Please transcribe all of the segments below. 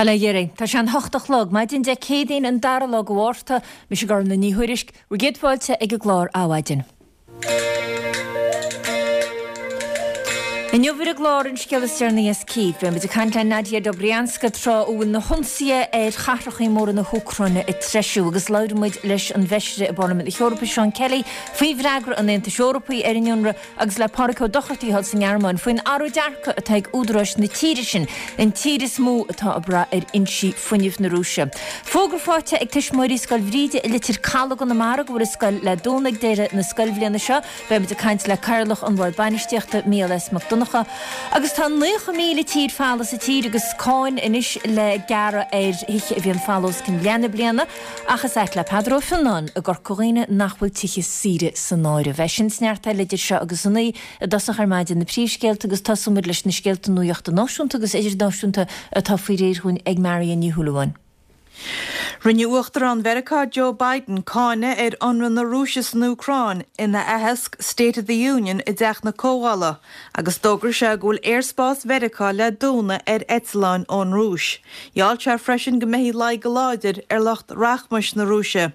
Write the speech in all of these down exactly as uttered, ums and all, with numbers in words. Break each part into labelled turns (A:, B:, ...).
A: Bail ó Dhia oraibh. Tá sé an hocht a chlog, maidin Dé Céadaoin an dara lá de Mhárta, mise Gormlaith Ní Thuairisg, bhur gcéad fáilte ag an gclár Adhmhaidin. Inniu ar an gclár an scéal is deireanaí as Cív, beidh muid ag caint le Nadia Dobrianska tráth a bhfuil na hionsaithe ar chathracha móra na hÚcráine ag treisiú agus labhróidh muid leis an bhFeisire i bParlaimint na hEorpa Seán Kelly faoi bhfreagra an Aontais Eorpaigh ar an ionradh agus le Pádraig Ó Dochartaigh thall sa nGearmáin faoin athrú dearcadh atá ag údaráis na tíre sin, an tír is mó atá ag brath ar fhoinsí fuinnimh na Rúise. Fógra faighte ag tuismitheoirí Scoil Bhríde i Leitir Caladh i gConamara go bhfuil an scoil le dúnadh ag deireadh na scoilbhliana seo. Beidh muid ag caint le Cathaoirleach an Bhoird Bainistíochta, Mícheál S. Mac Donncha. Agus tá naocha míle tír folamh sa tír agus cáin anois le gearradh ar thithe a bhíonn folamh os cionn leath na bliana. Ach is ait le Peadar Ó Fionnáin i gCorca Dhuibhne nach bhfuil tithe saoire san áireamh. É sin is neart eile idir seo agus a naoi i dtosach ar maidin na príomhscéalta agus tosóidh muid leis na scéalta nuachta náisiúnta agus idirnáisiúnta atá faoi réir dhúinn ag Marion Ní Shúilleabháin.
B: Rinne Uachtarán Mheiriceá Joe Biden cáineadh ar ionradh na Rúise san Úcráin ina aitheasc State of the Union i dTeach na Comhdhála agus d'fhógair sé go bhfuil aerspás Mheiriceá le dúnadh ar eitleáin ón Rúis. Gheall sé freisin go mbeifí le aghaidh go láidir ar lucht rachmais na Rúise.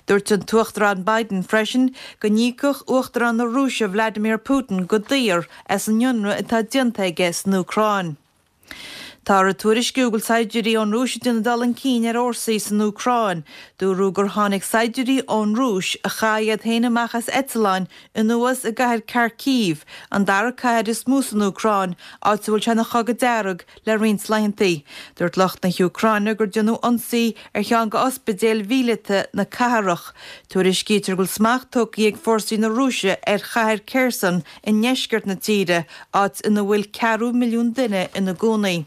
B: Dúirt an tUachtarán Biden freisin go n-íocfadh Uachtarán na Rúise Vladimir Putin go daor as an ionradh atá déanta aige san Úcráin. Táthar ag tuairisciú go bhfuil saighdiúirí ón Rúis ag déanamh dul chun cinn ar fhórsaí san Úcráin. Dúradh gur tháinig saighdiúirí ón Rúis, a chaith iad féin amach as eitleáin, anuas i gcathair Kharkiv, an dara cathair is mó san Úcráin, áit a bhfuil sé ina chogadh dearg le roinnt laethanta. Dúirt lucht na hÚcráine gur déanadh ionsaí ar cheann de ospidéil mhíleata na cathrach. Tuairiscítear go bhfuil smacht tógtha ag fórsaí na Rúise ar chathair Kherson i ndeisceart na tíre, áit ina bhfuil ceathrú milliún duine ina gcónaí.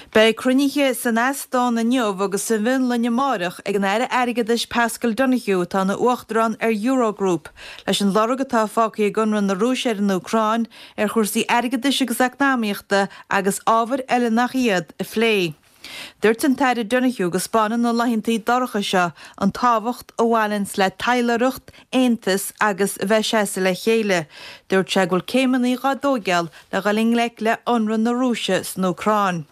B: Beidh cruinnithe san Eastóin inniu agus sa bhFionlainn amárach ag an Aire Airgeadais Paschal Donohoe, atá ina Uachtarán ar Eurogroup, leis an lorg atá fágtha ag ionradh na Rúise ar an Úcráin ar chúrsaí airgeadais agus eacnamaíochta agus ábhair eile nach iad, a phlé. Dúirt an tAire Donohoe go 'spáineann na laethanta dorcha seo an tábhacht a bhaineanns le taidhleoireacht, aontas agus a bheith seasamh le chéile. Dúirt sé go bhfuil céimeanna dhá dtóigeáil le dhul i ngleic le ionradh na Rúise san Úcráin.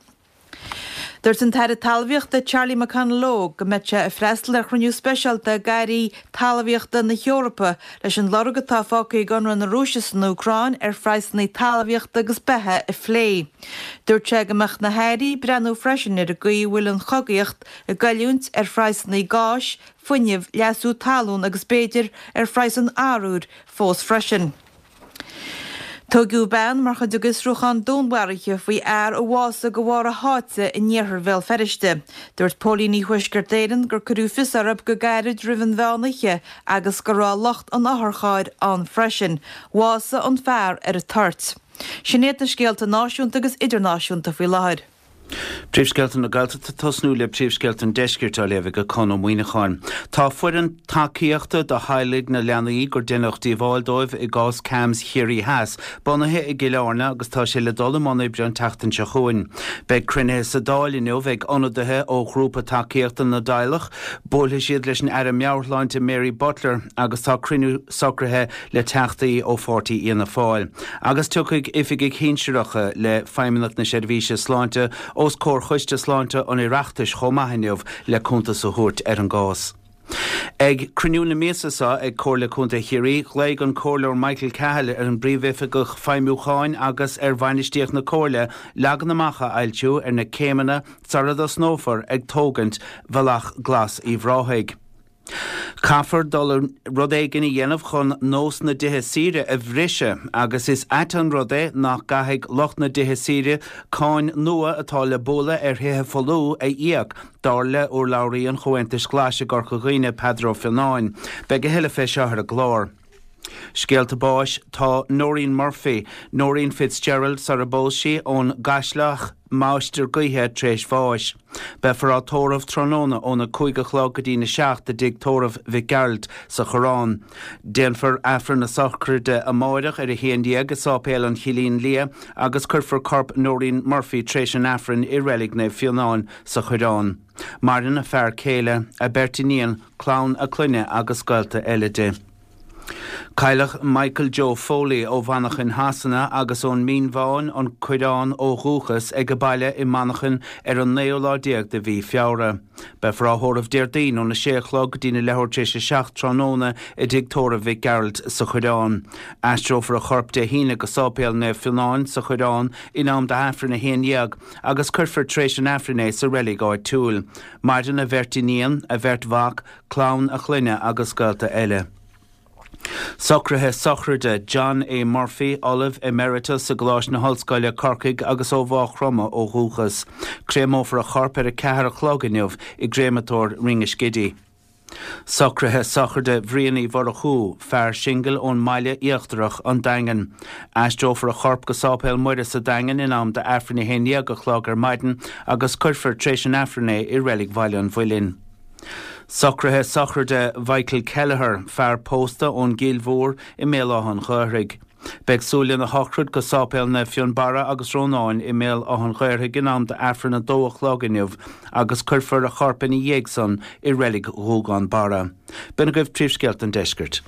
B: Dúirt an tAire Talmhaíochta Charlie McConalogue go mbeidh sé ag freastal ar chruinniú speisialta ag airí talmhaíochta na hEorpa leis an lorg atá fágtha ag ionradh na Rúise san Úcráin ar phraghsanna talmhaíochta agus beatha a phlé. Dúirt sé go mbeadh na hairí ag breathnú freisin ar an gcaoi a bhfuil an chogaíocht ag goilliúint ar phraghsanna gáis, fuinnimh, leasú talún agus b'fhéidir ar phraghas an arbhair fós freisin. Tógadh bean mar chuid de fhiosrúchán dúnmharaithe faoi fhear a bhásaigh de bharr a sháite in iarthar Bhéal Feirste. Dúirt póilíní Thuaisceart Éireann gur cuireadh fios orthu go gairid roimh an mheán oíche agus go raibh lucht an otharchairr ann freisin. Bhásaigh an fear ar an toirt. Sin iad na scéalta náisiúnta agus idirnáisiúnta faoi láthair.
C: Príomhscéalta na Gaeltachta ag tosnú le príomhscéalta an Deiscirt á léamh ag Con Ó Muíneacháin. Tá foireann tacaíochta do theaghlaigh na leanaí gur deineadh díobháil dóibh i gcás CAMHS Chiarraí Theas bunaithe i gCill Airne agus tá sé le dul i mbun oibre an tseachtain seo chugainn. Beidh cruinnithe sa Dáil inniu ag ionadaithe ó ghrúpa tacaíochta na dteaghlach. Buailfidh siad leis an Aire Meabhairshláinte Mary Butler agus tá cruinniú socraithe le teachtaí ó pháirtí Fhianna Fáil. Agus tiocfaidh oifigigh shinsearacha le Feidhmeannacht na Seirbhíse Sláinte os comhair Choiste Sláinte an Oireachtais chomh maith inniu le cuntas a thabhairt ar an gcás. Ag cruinniú na míosa seo ag Comhairle Contae Chiarraí, ghlaoigh an Comhairleoir Michael Cahill ar an bPríomhoifigeach Feidhmiúcháin agus ar bhainistíocht na Comhairle leagan amach a fhoilsiú ar na céimeanna sara dtosnófar ag tógaint Bhealach Glas Uíbh Ráthaigh. Caithfear dul rud éigin a dhéanamh chun nós na dtithe saoire a bhriseadh agus is ait an rud é nach gcaithfidh lucht na dtithe saoire cáin nua atá le bualadh ar thithe folmha a íoc, dar le urlabhraí an Chomhaontais Ghlais i gCorca Dhuibhne, Peadar Ó Fionnáin. Beidh a thuilleadh fé seo ar an gclár. Scéalta báis, Tá Noreen Murphy, Noreen Fitzgerald sar a bpós sí, ón gCaisleach, Máistir Gaoithe tar éis bháis. Beifear á tórramh tráthnóna óna cúig a chlog go dtína seacht i dTigh Tórraimh Mhic Gearailt sa Choireán. Déanfar Aifreann na sochraide amáireach ar a haon déag i Sáipéal an Chillín Liath agus cuirfear corp Noreen Murphy tar éis an Aifrinn i Reilig Naomh Fionán sa Choireán. Maireann a fear céile, a beirt iníon, clann a clainne agus gaolta eile di. Cailleadh Michael Joe Foley ó Mhanchain Shasana agus ón Mín Bhán an Coireán ó dhúchas ag a bhaile i Manchain ar an naoú lá déag de mhí Feabhra. Beifear á thórramh Déardaoin óna sé a chlog go dtí na leathuair tar éis a seacht tráthnóna i dtigh tórraimh Mhic Gearailt sa Choireán. Aistreofar a chorp Dé hAoine go Sáipéal Naomh Fionán sa Choireán in am d'Aifreann a haon dhéag agus cuirfear tar éis an Aifrinn é sa reilig áitiúil. Maireann a bheirt iníon, a bheirt mhac, clann a chlainne agus gaolta eile. Socruithe sochraide John A. Murphy, Ollamh Emeritus i gColáiste na hOllscoile Corcaigh agus ó Mhaigh Chromtha ó dhúchas. Créamófar a chorp ar a ceathair a chlog inniu i gcréamatóir Ringaskiddy. Socruithe sochraide Bhrian Uí Mhurchú, fear singil ón mBaile Íochtarach, an Daingean. Aistreofar a chorp go Sáipéal Muire sa Daingean in am d'Aifreann a haon dhéag a chlog ar maidin agus cuirfear tar éis an Aifrinn é i reilig Bhaile an Mhuilinn. Socruithe sochraide Mhichael Kelleher, fear pósta ón gCill Mhór i mBéal Átha an Ghaorthaidh. Beidh súil lena shochraid go Sáipéal Naomh Fionnbarra agus Rónáin i mBéal Átha an Ghaorthaidh in am d'Aifreann a dó a chlog inniu agus cuirfear a chorp ina dhiaidh san i reilig Ghúgán Barra. B'in agaibh príomhscéalta an deiscirt.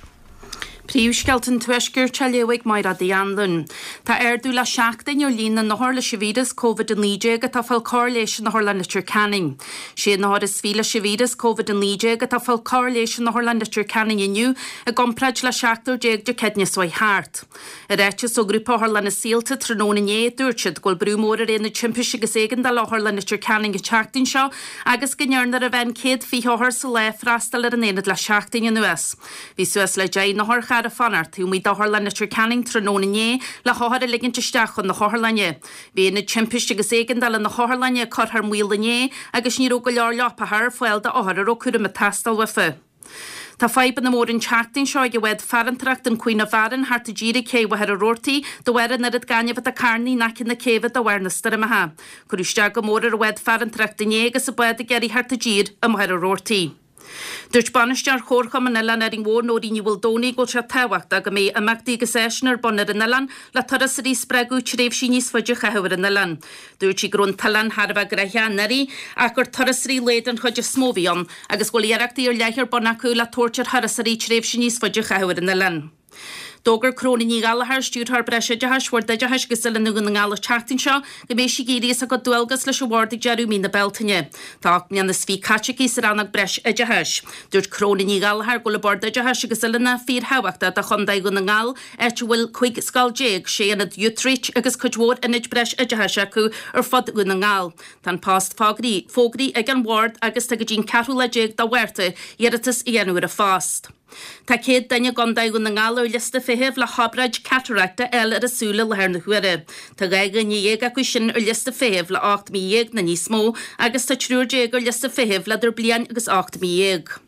D: Príomhscéalta an Tuaiscirt á léamh ag Máire Uí Anluain. Tá ardú le seachtain ar líon na n-othar leis an víreas Covid a naoi déag atá ag fáil cóir leighis in Otharlann Leitir Ceanainn. Sé n-othar is fiche leis an víreas Covid a naoi déag atá ag fáil cóir leighis in Otharlann Leitir Ceanainn inniu i gcomparáid le seachtar déag Dé Céadaoine seo chuaigh thart. I ráiteas ó Ghrúpa Otharlanna Saolta tráthnóna inné, dúirt siad go bhfuil brú mór ar Aonad Timpiste agus Éigeandála Otharlann Leitir Ceanainn an tseachtain seo agus go ndearna ar a mheán céad fiche othar sa lá freastal ar an aonad le seachtain anuas. Bhí suas le deich n-otharcharr ag fanacht taobh amuigh d'Otharlann Leitir Ceanainn tráthnóna inné le hothair a ligint isteach chun na hotharlainne. Bhí Aonad Timpiste agus Éigeandála na hOtharlainne curtha ar maol inné agus ní raibh go leor leapacha ar fáil d'othair a raibh cúram ag teastáil uafa. Tá fadhbanna móra an tseachtain seo ag an bhád farantóireachta an Queen of Aran thart i dtír ag cé Mhachaire Rabhartaigh de bharr an oiread gainimh atá carnaithe in aice na céibhe de bharr na stoirmeacha. Cuireadh isteach go mór ar an bhád farantóireachta inné agus an bád ag iarraidh thart i dtír i Machaire Rabhartaigh. Dúirt bainisteoir Chomharchumann Oileán Árainn Mhór Nóirín Ní Mhaoldomhnaigh go bhfuil sé tábhachtach go mbeidh imeachtaí agus áiseanna ar bun ar an oileán le turasóirí a spreagadh tréimhsí níos faide a chaitheamh ar an oileán. Dúirt sí go raibh an t-oileán thar a bheith gnoitheach anuraidh ach gur turasóirí lae den chuid is mó a bhí ann agus go bhfuil iarrachtaí ar leith ar bun acu le tabhairt ar thurasóirí tréimhse níos faide a chaitheamh ar an oileán. D'fhógair Cróna Ní Ghallchóir, Stiúrthóir Breisoideachais Bhord Oideachais agus Oiliúna Dhún na nGall an tseachtain seo go mbeidh sí ag éirí as a cuid dualgas leis an bhord ag deireadh mí na Bealtaine. Tá ocht mbliana is fiche caite aici sa rannóg Breisoideachais. Dúirt Cróna Ní Ghallchóir go bhfuil an Bord Oideachais agus Oiliúna fíorthábhachtach do Chontae Dhún na nGall, áit a bhfuil cúig scoil déag, sé ionad Youthreach agus cuid mhór ionaid breisoideachais acu ar fud Dhún na nGall. Tá an post fógraithe ag an bhord agus tá go dtí an ceathrú lá déag de Mhárta iarratas a dhéanamh ar an phost. Tá céad duine i gContae Dhún na nGall ar liosta feithimh le hobráid catarachta a fháil ar a súil i láthair na huaire. Tá dhá dhuine dhéag acu sin ar liosta feithimh le ocht mí dhéag nó níos mó agus tá triúr déag ar liosta feithimh le idir bliain agus ocht mí dhéag.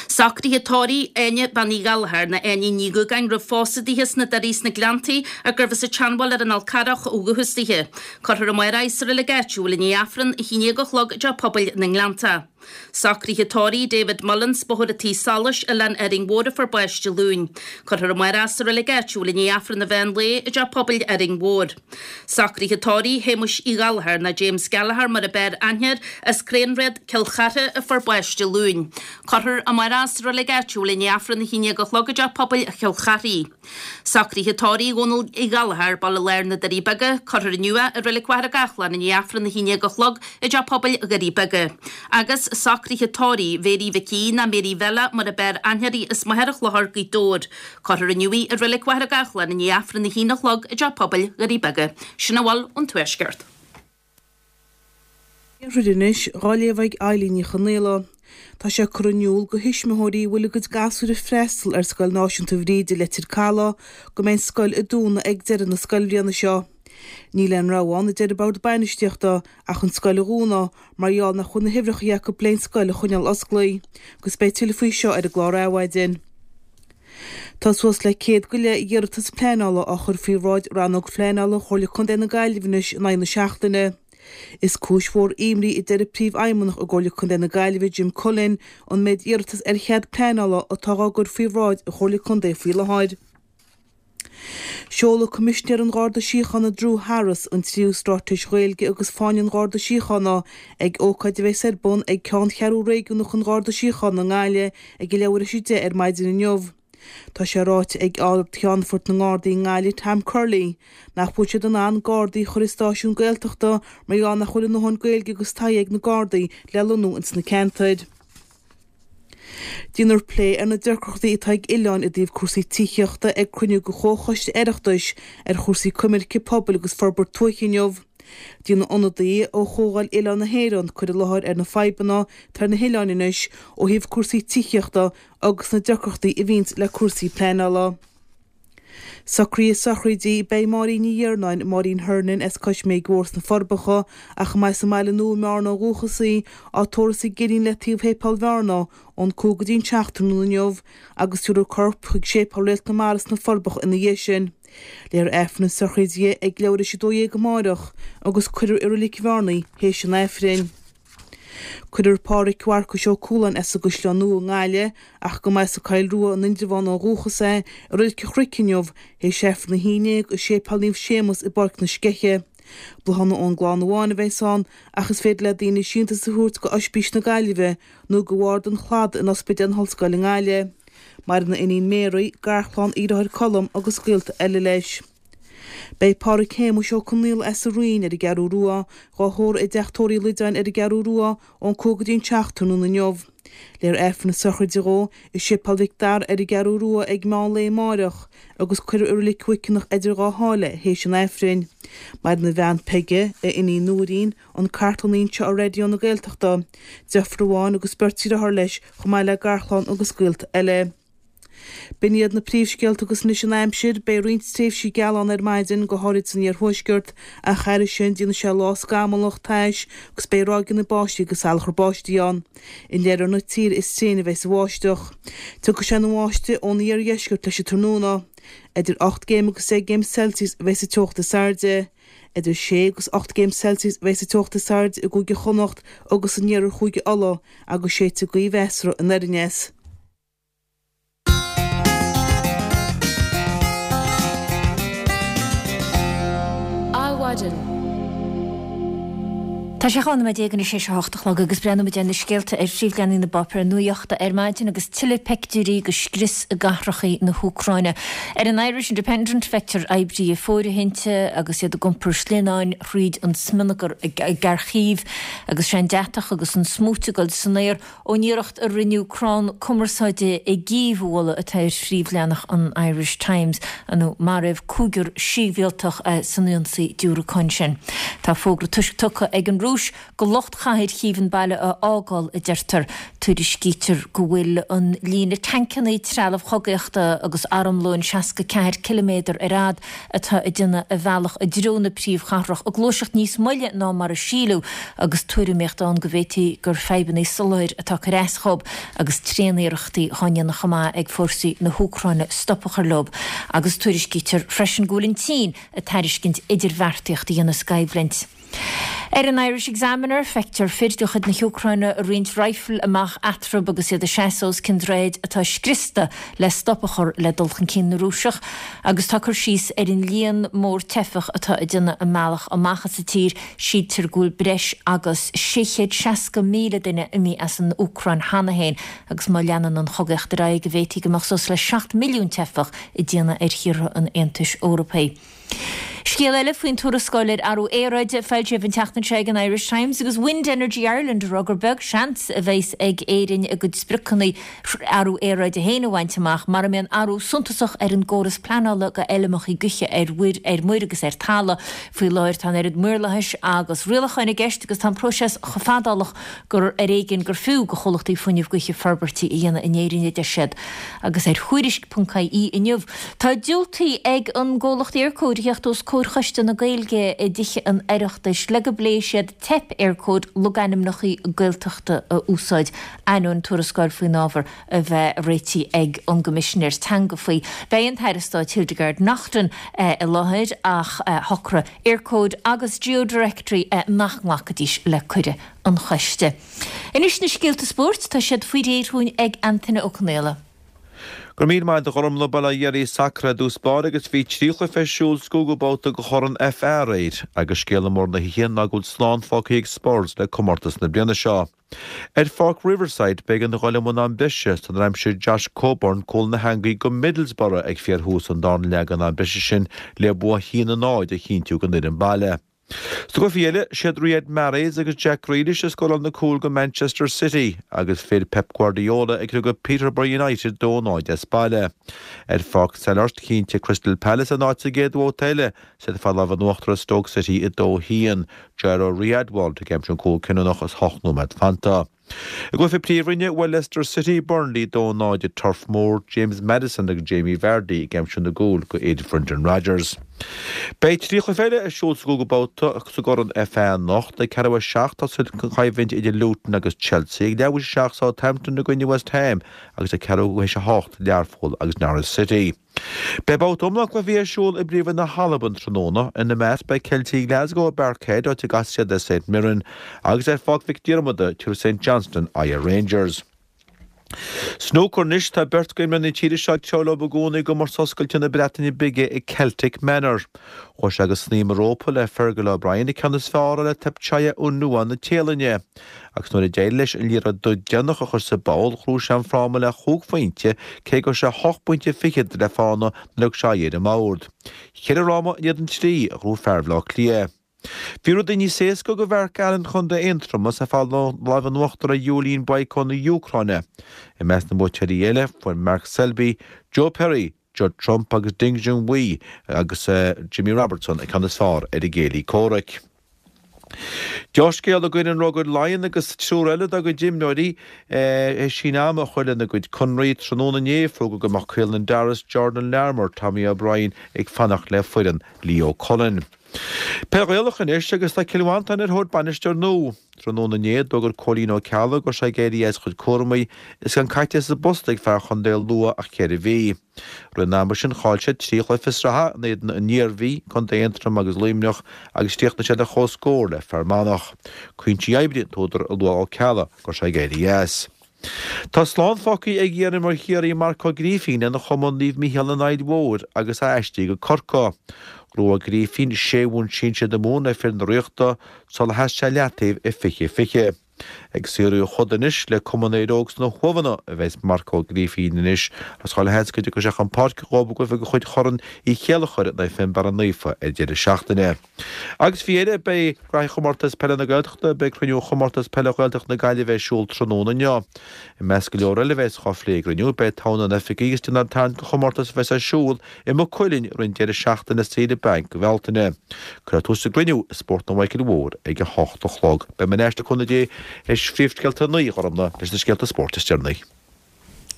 D: Socruithe tórraimh Áine Bean Uí Ghallchóir nó Áine Ní Dhúgáin roimh phósadh dithe sna Doirí sna Gleanntaí a gurbh as an tSeanbhaile ar an Fhál Carrach ó dhúchas dithe. Cuirfear amárach í sa reilig áitiúil i ndiaidh Aifreann a haon déag a chlog i dteach pobail na nGleannta. Socruithe tórraimh David Mullins, Bóthar an Tí Solais, Oileán Árainn Mhór a fuair bás Dé Luain. Cuirfear amárach sa reilig áitiúil i ndiaidh Aifreann an mheán lae i dteach pobail Árainn Mhór. Socruithe tórraimh Shéamuis Uí Ghallchóir nó James Gallagher mar ab fhearr aithne air, as Craenréad, Cill Chartha a fuair bás Dé Luain. Cuirfear amárach sa reilig áitiúil i ndiaidh Aifreann a haon déag a chlog i dteach pobail Chill Charthaigh. Socruithe tórraimh Dhónaill Uí Ghallchóir, Baile Láir na Doirí Beaga, cuirfear inniu é i reilig Mhachaire Gathlán i ndiaidh Aifreann a haon déag a chlog i dteach pobail Dhoirí Beaga. Agus socruithe tórraimh Mhéirí Mhic Aoidh nó Mary Bhella mar ab fhearr aithne uirthi as Machaire Chlochair, Gaoth Dobhair. Cuirfear inniu í i reilig Mhachaire Gathlán i ndiaidh Aifreann a haon a chlog i dteach pobail Dhoirí Beaga. Sin a bhfuil ón Tuaisceart.
E: Iarthar anois, dhá léamh ag Eilín Ní Chonaola. Tá sé curtha in iúl do thuismitheoirí a bhfuil a gcuid gasúir ag freastal ar Scoil Náisiúnta Bhríde, Leitir Caladh, go mbeidh an scoil ag dúnadh ag deireadh na scoilbhliana seo. Níl aon rogha ann, a deir an Bord Bainistíochta, ach an scoil a dhúnadh mar gheall nach bhfuil na huimhreacha acu leis an scoil a choinneáil osclaí. Agus beidh tuilleadh faoi seo ar an gclár Adhmhaidin. Tá suas le céad go leith iarratas pleanála á chur faoi bhráid Rannóg Phleanála Chomhairle Contae na Gaillimhe anois in aghaidh na seachtaine. Is cúis mhór imní a deir Príomhfheidhmeannach i gComhairle Contae na Gaillimhe Jim Cullen an méid iarratas ar chead pleanála atá á gcur faoi bhráid an Chomhairle Contae faoi láthair. Seolfaidh Coimisinéir an Gharda Síochána Drew Harris an tríú Straitéis Ghaeilge agus Fáinne an Gharda Síochána ag ócáid a bheas ar bun ag Ceanncheathrú Réigiúnach an Gharda Síochána i nGaillimh ag a leathuair tar éis a deich ar maidin inniu. Tá sé ráite ag Ard-Cheannfort na nGardaí i nGaillimh Tom Curley nach bhfuil siad in ann Gardaí a chur i stáisiún Gaeltachta mar gheall nach bhfuil a ndóthain Gaeilge agus taithí ag na Gardaí le lonnú ins na ceantair. Déanfar plé ar na deacrachtaí atá ag oileáin i dtaobh cúrsaí tithíochta ag cruinniú de Chomhchoiste Oireachtais ar chúrsaí coimirce pobail agus forbairt tuaithe inniu. Déanfaidh ionadaí ó Chomhdháil Oileán na hÉireann cur i láthair ar na fadhbanna atá ar na hoileáin anois ó thaobh cúrsaí tithíochta agus na deacrachtaí a bhíonns le cúrsaí pleanála. Socruithe sochraide Beidh Máirín Ní Iarnáin, Máirín Hernon as Cois Méig Mhór sna Forbacha, ach a mba as an mBaile Nua i mBearna ó dhúchas í, á tórramh sa gCillín le taobh Shéipéal Bhearna ón cúig go dtí an seacht tráthnóna inniu agus tabharfar a corp chuig Séipéal Réalt na Mara sna Forbacha ina dhiaidh sin. Léifear Aifreann na sochraide di ag leathuair théis a dó dhéag amáireach agus cuirfear i Reilig Bhearna í théis an Aifrinn. Cuirfear Pádhraic Mharcais Ó Cualáin as an gCaisleán Nua i nGaillimh, ach go mba as an Choill Rua in Indreabhán ó dhúchas é, i Reilig an Chnoic inniu, théis Aifreann a haon déag i Séipéal Naomh Séamus i bPáirc na Sceiche. Bláthanna ón gclann amháin a bheas ann ach is féidir le daoine síntiús a thabhairt go Oispís na Gaillimhe nó go Bhord an Chladaigh in Ospidéal na hOllscoile i nGaillimh. Maireann a iníon Mary, garchlann, a dheartháir Colm agus gaolta eile leis. Beidh Pádraig Shéamuis Ó Conaola as an Rinn ar an gCeathrú Rua dhá thórramh i dTeach Tórraimh Uí Loideáin ar an gCeathrú Rua ón cúig go dtí an seacht tráthnóna inniu. Léifear Aifreann na sochraide dhó i Séipéal Mhic Dara ar an gCeathrú Rua ag meán lae amáireach agus cuirfear i Reilig Mhuiceanach eidir dhá sháile théis an Aifrinn. Maireann a bhean Peige, a iníon Nóirín, an cartlannaí anseo ar Raidió na Gaeltachta, deirfiúr amháin agus beirt deartháir leis chomh maith le garchlann agus gaolta eile. B'in iad na príomhscéalta agus anois an aimsir. Beidh roinnt tréimhsí geala ann ar maidin, go háirid san iarthuaisceart, ach thairis sin déanfaidh sé lá scamallach, tais agus beidh ráigeanna báistí agus salachar báistí ann. In oirthear na tíre is tréine a bheidh an bháisteach. Tiocfaidh sé ina bháisteach ón iardheisceart leis an tráthnóna. Idir ocht gcéim agus deich gcéim Celsius a bheidh sa teocht is airde. Idir sé agus ocht gcéim Celsius a bheidh sa teocht is airde i gCúige Chonnacht agus in iarthar Chúige Uladh agus séidfidh gaoth mheasartha anoir aneas.
A: Adhmhaidin. Tá sé dhá nóiméad déag anois théis a hocht a chlog agus breathnóimid ar na scéalta ar phríomhleathanaigh na bpáipéar nuachta ar maidin agus tuilleadh peictiúirí de scrios i gcathracha na hÚcráine. Ar an Irish Independent feictear oibrithe fóirithinte agus iad ag iompar sleamhnáin thríd an smionagar i gCarchív agus sé an deatach agus an smúit ag dul san aer Ón iarracht a rinneadh crann cumarsáide i gCív a bhualadh atá ar phríomhleathanach an Irish Times, nó maraíodh cúigear sibhialtach san ionsaí diúracáin sin. Tá fógra toisc tugtha ag an Rúis go lucht chathair Chív an baile a fhágáil, a deirtear. Tuairiscítear go bhfuil an líne tancanna, trealamh chogaíochta agus armlóin seasca ceathair ciliméadar ar fhad atá ag déanamh a bhealach i dtreo na príomhchathrach ag gluaiseacht níos moille ná mar a síleadh agus tuairimíocht ann go bhféadfaí gur fadhbanna soláthair atá ag cur as dhóibh agus tréaniarrachtaí á ndéanamh chomh maith ag fórsaí na hÚcráine stop a chur leo agus tuairiscítear freisin go bhfuil an tSín ag tairiscint idirbheartaíocht a dhéanamh sa gcoimhlint. Ar an Irish Examiner, feictear fir de chuid na hÚcráine ag roinnt raidhfil amach eatarthu agus iad ag seasamh os cionn droichid atá scriosta le stop a chur le dul chun cinn na Rúiseach agus tá cur síos ar an líon mór teifeach atá ag déanamh a mbealach amach as an tír. Síltear go bhfuil breis agus sé chéad seasca míle duine imithe as an Úcráin cheana féin agus má leanann an chogaíocht ar aghaidh go bhféadfaí go mbeadh suas le seacht milliún teifeach ag déanamh ar thíortha an Aontais Eorpaigh. Scéal eile faoin tuarascáil ar athrú aeráide foilsithe an tseachtain seo ag an Irish Times agus Wind Energy Ireland ag rá gur beag seans a bheas ag Éirinn a gcuid spriocanna athrú aeráide féin a bhaint amach mara mbíonn athrú suntasach ar an gcóras pleanála go fheilmeacha gaoithe ar mhuir ar muir agus ar talamh. Faoi láthair tá an oiread maorlathais agus rialacháin i gceist agus tá an próiseas chomh fadálach gur ar éigean gur fiú go chomhlachtaí fuinnimh gaoithe forbairtí a dhéanamh in Éirinn a deir siad. Agus ar Thuairisc.ie inniu tá diúltaithe ag an gcomhlacht Eircode a theacht os comhair Choiste na Gaeilge i dTithe an Oireachtais le go bpléifidh siad teip Eircode logainmneacha Gaeltachta a úsáid, ainneoin tuarascáil faoin ábhar a bheith réitithe ag an gCoimisinéir Teanga faoi. Beidh an tAire Stáit Hildegarde Naughton i láthair ach shocraigh Eircode agus GeoDirectory nach nglacfaidís le cuireadh an choiste. Anois na scéalta spóirt, tá siad faoi réir chugainn ag Antaine Ó Conaola.
F: Go raibh míle maith agat a Ghormfhlaith. Bhuel a dheiridh sacar i dtús báire agus bhí trí chluiche ar siúl sa gcúigiú babhta de Chorn FA aréir agus scéala mór na hoíche ná go bhfuil slán fágtha ag Spurs le comórtas na bliana seo. Ar Pháirc Riverside b'éigean a dhul i mbun am breise sular aimsigh Josh Coburn cúl na heangaí do Middlesbrough ag fíorthús an darna leath den am breise sin le bua a haon a náid a chinntiú don fhoireann baile. Sna cluichí eile, siad Riyad Mahrez agus Jack Grealish a scóráil na cúil do Manchester City agus fir Pep Guardiola ag criogadh Peterborough United dó náid as baile. Ar Pháirc Selhurst chinntigh Crystal Palace a n-áit sa gcéad bhabhta eile is iad ag fáil lámh in uachtar ar Stoke City a dó a haon, Jairo Riedewald ag aimsiú an cúl cinniúnach is hocht nóiméad fanta. I gcluiche Príomhroinne, bhuail Leicester City Burnley dó náid i Turf Moor, James Maddison agus Jamie Vardy ag aimsiú na gcúl do fhir Brendan Rodgers. Beidh trí chluiche eile ar siúl sa gcúigiú babhta sa gCorn FA anocht, ag ceathrú a seacht tosóidh an choimhlint idir Luton agus Chelsea, ag leathuair théis a seacht Southampton i gcoinne West Ham agus ag ceathrú théis a hocht Learpholl agus Norwich City. Beidh babhta iomlán cluichí ar siúl i bPríomhroinn na hAlban tráthnóna. Ina measc beidh Ceiltigh Glasgow i Parkhead, áit a gcasfaidh siad le St Mirren, agus ar Pháirc Mhic Diarmada, tabharfaidh St Johnstone aghaidh ar Rangers. Snúcar anois, tá beirt d'imreoirí na tíre seo ag treabhadh leo i gcónaí i gcomórtas oscailte na Breataine Bige i Celtic Manor. Chuaigh sé go snaidhm an rópa le Fergal O'Brien an ceann is fearr a fháil ar Thepchaiya Un-Nooh na Téalainne. Agus nuair a d'éirigh leis an liathróid dubh deireanach a chur sa bpoll, ghnóthaigh sé an fráma le chúig phointe, cé go raibh sé hocht bpointe fichead le fána nuair a thug sé aghaidh ar an mbord. Ceithre fhráma in éadan trí a ghnóthaigh fear Bhaile Átha Cliath. Bhí rudaí níos éasca do Mhark Allen Chontae Aontroma is é ag fáil lámh in uachtar ar Iulian Boiko na hÚcráine. I measc na mbuaiteoirí eile, fuair Mark Selby, Joe Perry, Judd Trump agus Ding Junhui agus Jimmy Robertson an ceann is fearr ar a gcéilí comhraic. Dea-scéala d'fhoireann Rugair Laighean agus triúr eile dá gcuid imreoirí théis síneadh ama a chur lena gcuid conraí tráthnóna inné, fógraíodh go mbeadh Caelan Doris, Jordan Larmour, Tommy O'Brien ag fanacht le foireann Leo Cullen. Peil Ghaelach anois agus tá Cill Mhantáin ar thóir bainisteoir nua. Tráthnóna inné, d'fhógair Cóilín Ó Ceallaigh go raibh sé ag éirí as a chuid cúramaí is gan caite sa bpost ag fear chontae Lú ach ceithre mhí. Roimh an ama sin chaill siad trí chluiche sraithe in éadan an Iarmhí, Contae Aontroim agus Luimneach agus chríochnaigh siad ar comhscór le Fear Manach. Cúinsí oibre an t-údar a luaigh Ó Ceallaigh go raibh sé ag éirí as. Tá slán fágtha ag iarimreoir Chiarraí Marc Ó Grífín lena chumann Naomh Mícheál an Aill Mhóir agus é aistrithe go Corcaigh. Ghnóthaigh Ó Grífín sé bhonn sinsir na Mumhan le fir na Ríochta sular sheas sé leataobh i fiche fiche. Ag saothrú a choda anois le Cumann Éire Óg sna hUamhanna a bheas Marc Ó Grífín anois agus chuile sheans go dtiocfaidh sé chun páirce dhóibh i gcluiche de chuid Chorn Uí Chéilleachair in aghaidh Fionnbarra Naofa ar deireadh seachtaine. Agus faoi dheireadh beidh Graithí Chomórtas Peile na Gaeltachta, beidh cruinniú Chomórtas Peile Ghaeltacht na Gaillimhe ar siúl tráthnóna inniu. I measc go leor eile a bheas á phlé ag an gcruinniú, beidh togha na n-oifigigh is na dtarraingt don chomórtas a bheas ar siúl i Maigh Cuilinn roimh an deireadh seachtaine saoire bainc i Bhealtaine. Cuirfear tús leis an gcruinniú i Spórtlann Mhichíl Mhóir ag a hocht a chlog. Beidh mé ar ais le cúnamh Dé théis phríomhscéalta a naoi, a Ghormfhlaith, leis na scéalta spóirt is deireanaí.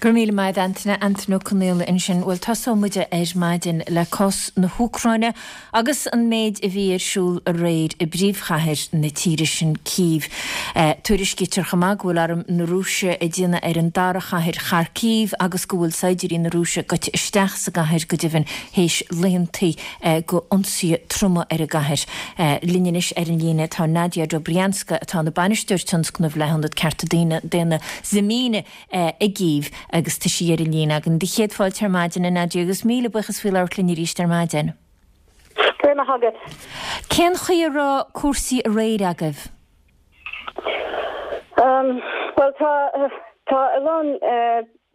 A: Go raibh míle maith agat Antaine, Antaine Ó Conaola ansin. Bhuel, tosóidh muid ar maidin le cás na hÚcráine agus an méid a bhí ar siúl aréir i bpríomhchathair na tíre sin, Cív. Tuairiscítear chomh maith go bhfuil arm na Rúise ag déanamh ar an dara chathair, Kharkiv, agus go bhfuil saighdiúirí na Rúise goite isteach sa gcathair go deimhin théis laethantaí go ionsaithe troma ar an gcathair. Linn anois ar an líne tá Nadia Dobrianska atá ina bainisteoir tionscnaimh le hIonad Cearta Daonna Zmina i gCív agus tá sí ar an líne againn. Do chéad fáilte ar maidin, a Nadia, agus míle buíochas faoi labhairt linn arís ar maidin.
G: Go raibh maith agat.
A: Cén chaoi a raibh cúrsaí aréir agaibh?
G: Bhuel, tá tá a lán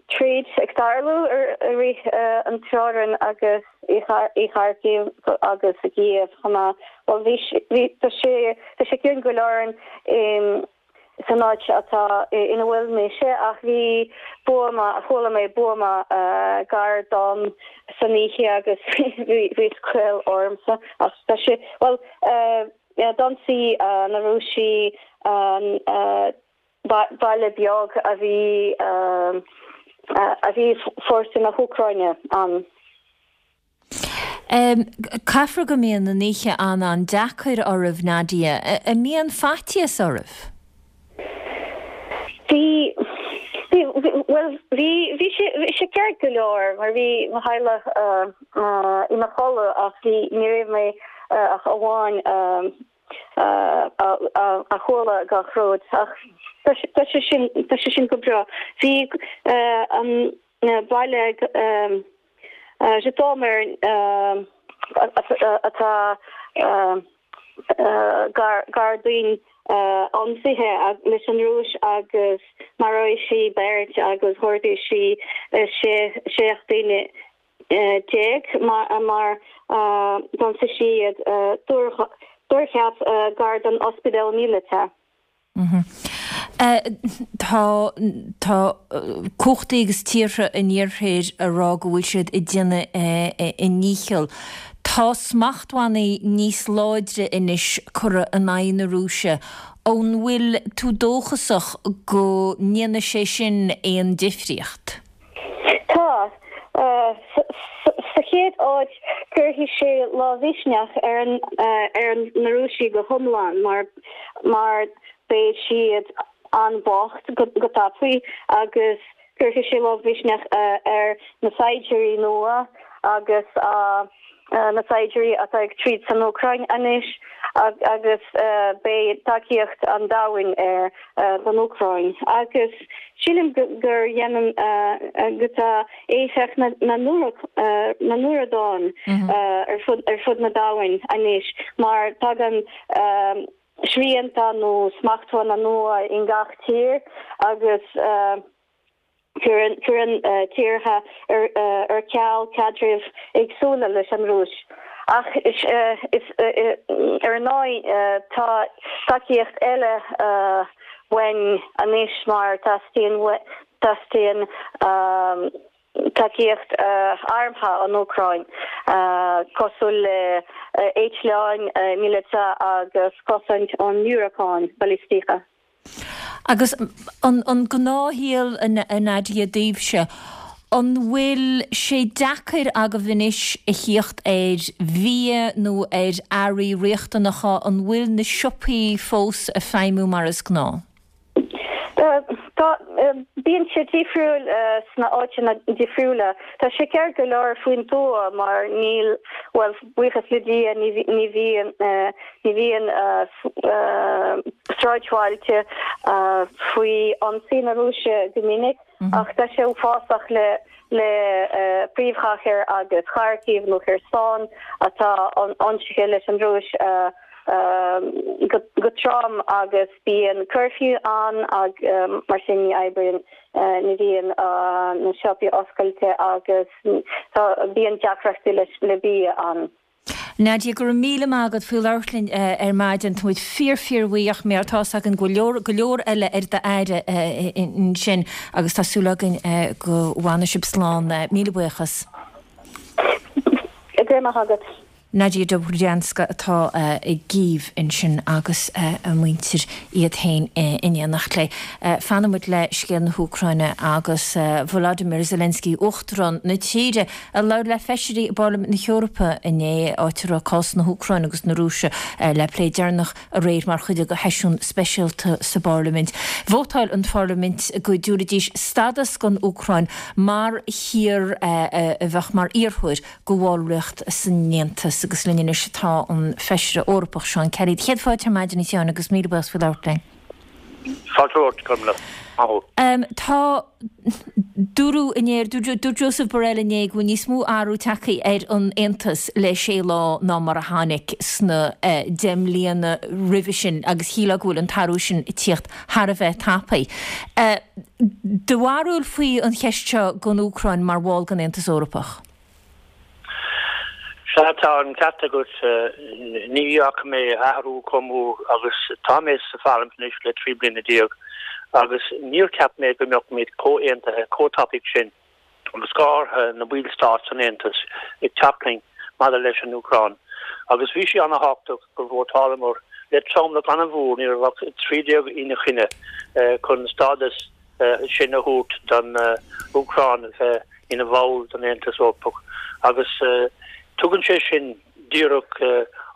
G: troid ag tarlú i rith an teorainn agus i Kharkiv agus i gCív chomh maith. Bhuel, bhí bhí tá sé tá sé ciúin go leor in san áit atá ina bhfuil mise ach bhí buama, chuala mé buama gar dom san oíche agus bhí scaoll ormsa ach tá sé, bhuel, d'ionsaigh na Rúisigh an baile beag a bhí a bhí fórsaí na hÚcráine ann.
A: Caithfear go mbíonn an oíche an-an-deacair oraibh, Nadia. An mbíonn faitíos oraibh?
G: Bhí, bhí, bhuel, bhí, bhí sé, bhí sé ceart go leor mar bhí mo theaghlach ina chodladh ach bhí, ní raibh mé ach amháin a chuala gach rud ach tá sé sin, tá sé sin go breá. Bhí an. Baile Zhytomyr atá gar dúinn ionsaithe leis an Rúis agus mharaigh sí beirt agus ghortaigh sí seacht daoine déag mar d'ionsaigh siad túrtheach gar don ospidéal míleata.
A: Tá tá cumhachtaí agus tíortha an iarthair ag rá go bhfuil siad ag déanamh a ndícheall. Tá smachtbhannaí níos láidre anois curtha in aghaidh na Rúise. An bhfuil tú dóchasach go ndéanfaidh sé sin aon difríocht?
G: Tá. Sa chéad áit, cuirfidh sé lagmhisneach ar ar na Rúisigh go hiomlán mar mar beidh siad an-bhocht go tapaidh agus cuirfidh sé lagmhisneach ar na saighdiúirí nua agus na saighdiúirí atá ag troid san Úcráin anois agus beidh tacaíocht an domhain ar don Úcráin. Agus sílim gur dhéanann go tá éifeacht na na ndúradán ar fud ar fud na domhain anois mar tagann srianta nó smachtbhanna nua in gach tír agus cuireann tíortha ar ceal caidrimh éagsúla leis an Rúis. Ach ar ndóigh tá tacaíocht eile uainn anois mar teastaíonn teastaíonn tacaíocht armtha ón Úcráin, cosúil le eitleáin míleata agus cosaint ón ndiúracáin balaistíocha.
A: Agus an gnáthshaol a Nadia daoibhse, an bhfuil sé deacair agaibh anois a thíocht ar bhia nó ar earraí riachtanacha, an bhfuil na siopaí fós ag feidhmiú mar is gnáth?
G: Tá, bíonn sé difriúil sna áiteanna difriúla. Tá sé ceart go leor faoin tuath mar níl, bhuel, buíochas le Dia, ní ní bhíonn ní bhíonn sráidbhailte faoi ionsaí na Rúise go minic ach tá sé uafásach le le príomhchathair agus Kharkiv nó Kherson atá ionsaithe leis an Rúis go trom agus bíonn curfew ann ag mar sin ní oibríonn ní bhíonn na siopaí oscailte agus tá bíonn deacrachtaí leis le bia ann.
A: Nadia, go raibh míle maith agat faoi labhairt linn ar maidin. Tá muid fíor fíor bhuíoch mar tá's againn go leor go leor eile ar d'aire ansin agus tá súil againn go bhfanfaidh sibh slán. Míle buíochas.
G: Go raibh maith agat.
A: Nadia Dobrianska atá i gCív ansin agus a muintir iad féin in éineacht léi. Fanfaidh muid le scéal na hÚcráine agus Volodymyr Zelensky, Uachtarán na tíre, a labhair le feisirí i bParlaimint na hEorpa inné, áit a raibh cás na hÚcráine agus na Rúise le plé deireanach aréir mar chuid de sheisiún speisialta sa bParlaimint. Vótáil an Pharlaimint go dtabharfaidís stádas don Úcráin mar thír a bheadh mar iarrthóir go bhallraíocht san Aontas agus linn anois atá an Feisire Eorpach Seán Kelly. Céad fáilte ar maidin a Sheáin agus míle buíochas faoi labhairt linn.
H: Fáilte romhat, Gormlaith. Maith thú.
A: Tá dúradh inné, dúirt Josep Borrell inné go bhfuil níos mó athrú tagtha ar an Aontas le sé lá ná mar a tháinig sna deich mbliana roimhe sin agus shílfeá go bhfuil an t-athrú sin ag tíocht thar a bheith tapaidh. Do bharúil faoi an cheist seo don Úcráin mar bhall den Aontas Eorpach?
H: Sea, tá an ceart agat. Ní fhaca mé athrú chomh mór agus tá mé sa Pharlaimint anois le trí bliana déag agus níor cheap mé go mbeadh muid chomh aontaithe chomh tapaidh sin agus go háirithe na ballstáit san Aontas ag teacht linn maidir leis an Úcráin. Agus bhí sé an-thábhachtach gur vótálamar le tromlach an-mhór, ní raibh ach trí déag ina choinne, chun stádas sin a thabhairt don Úcráin a bheith ina bhall den Aontas Eorpach agus tugann sé sin díreach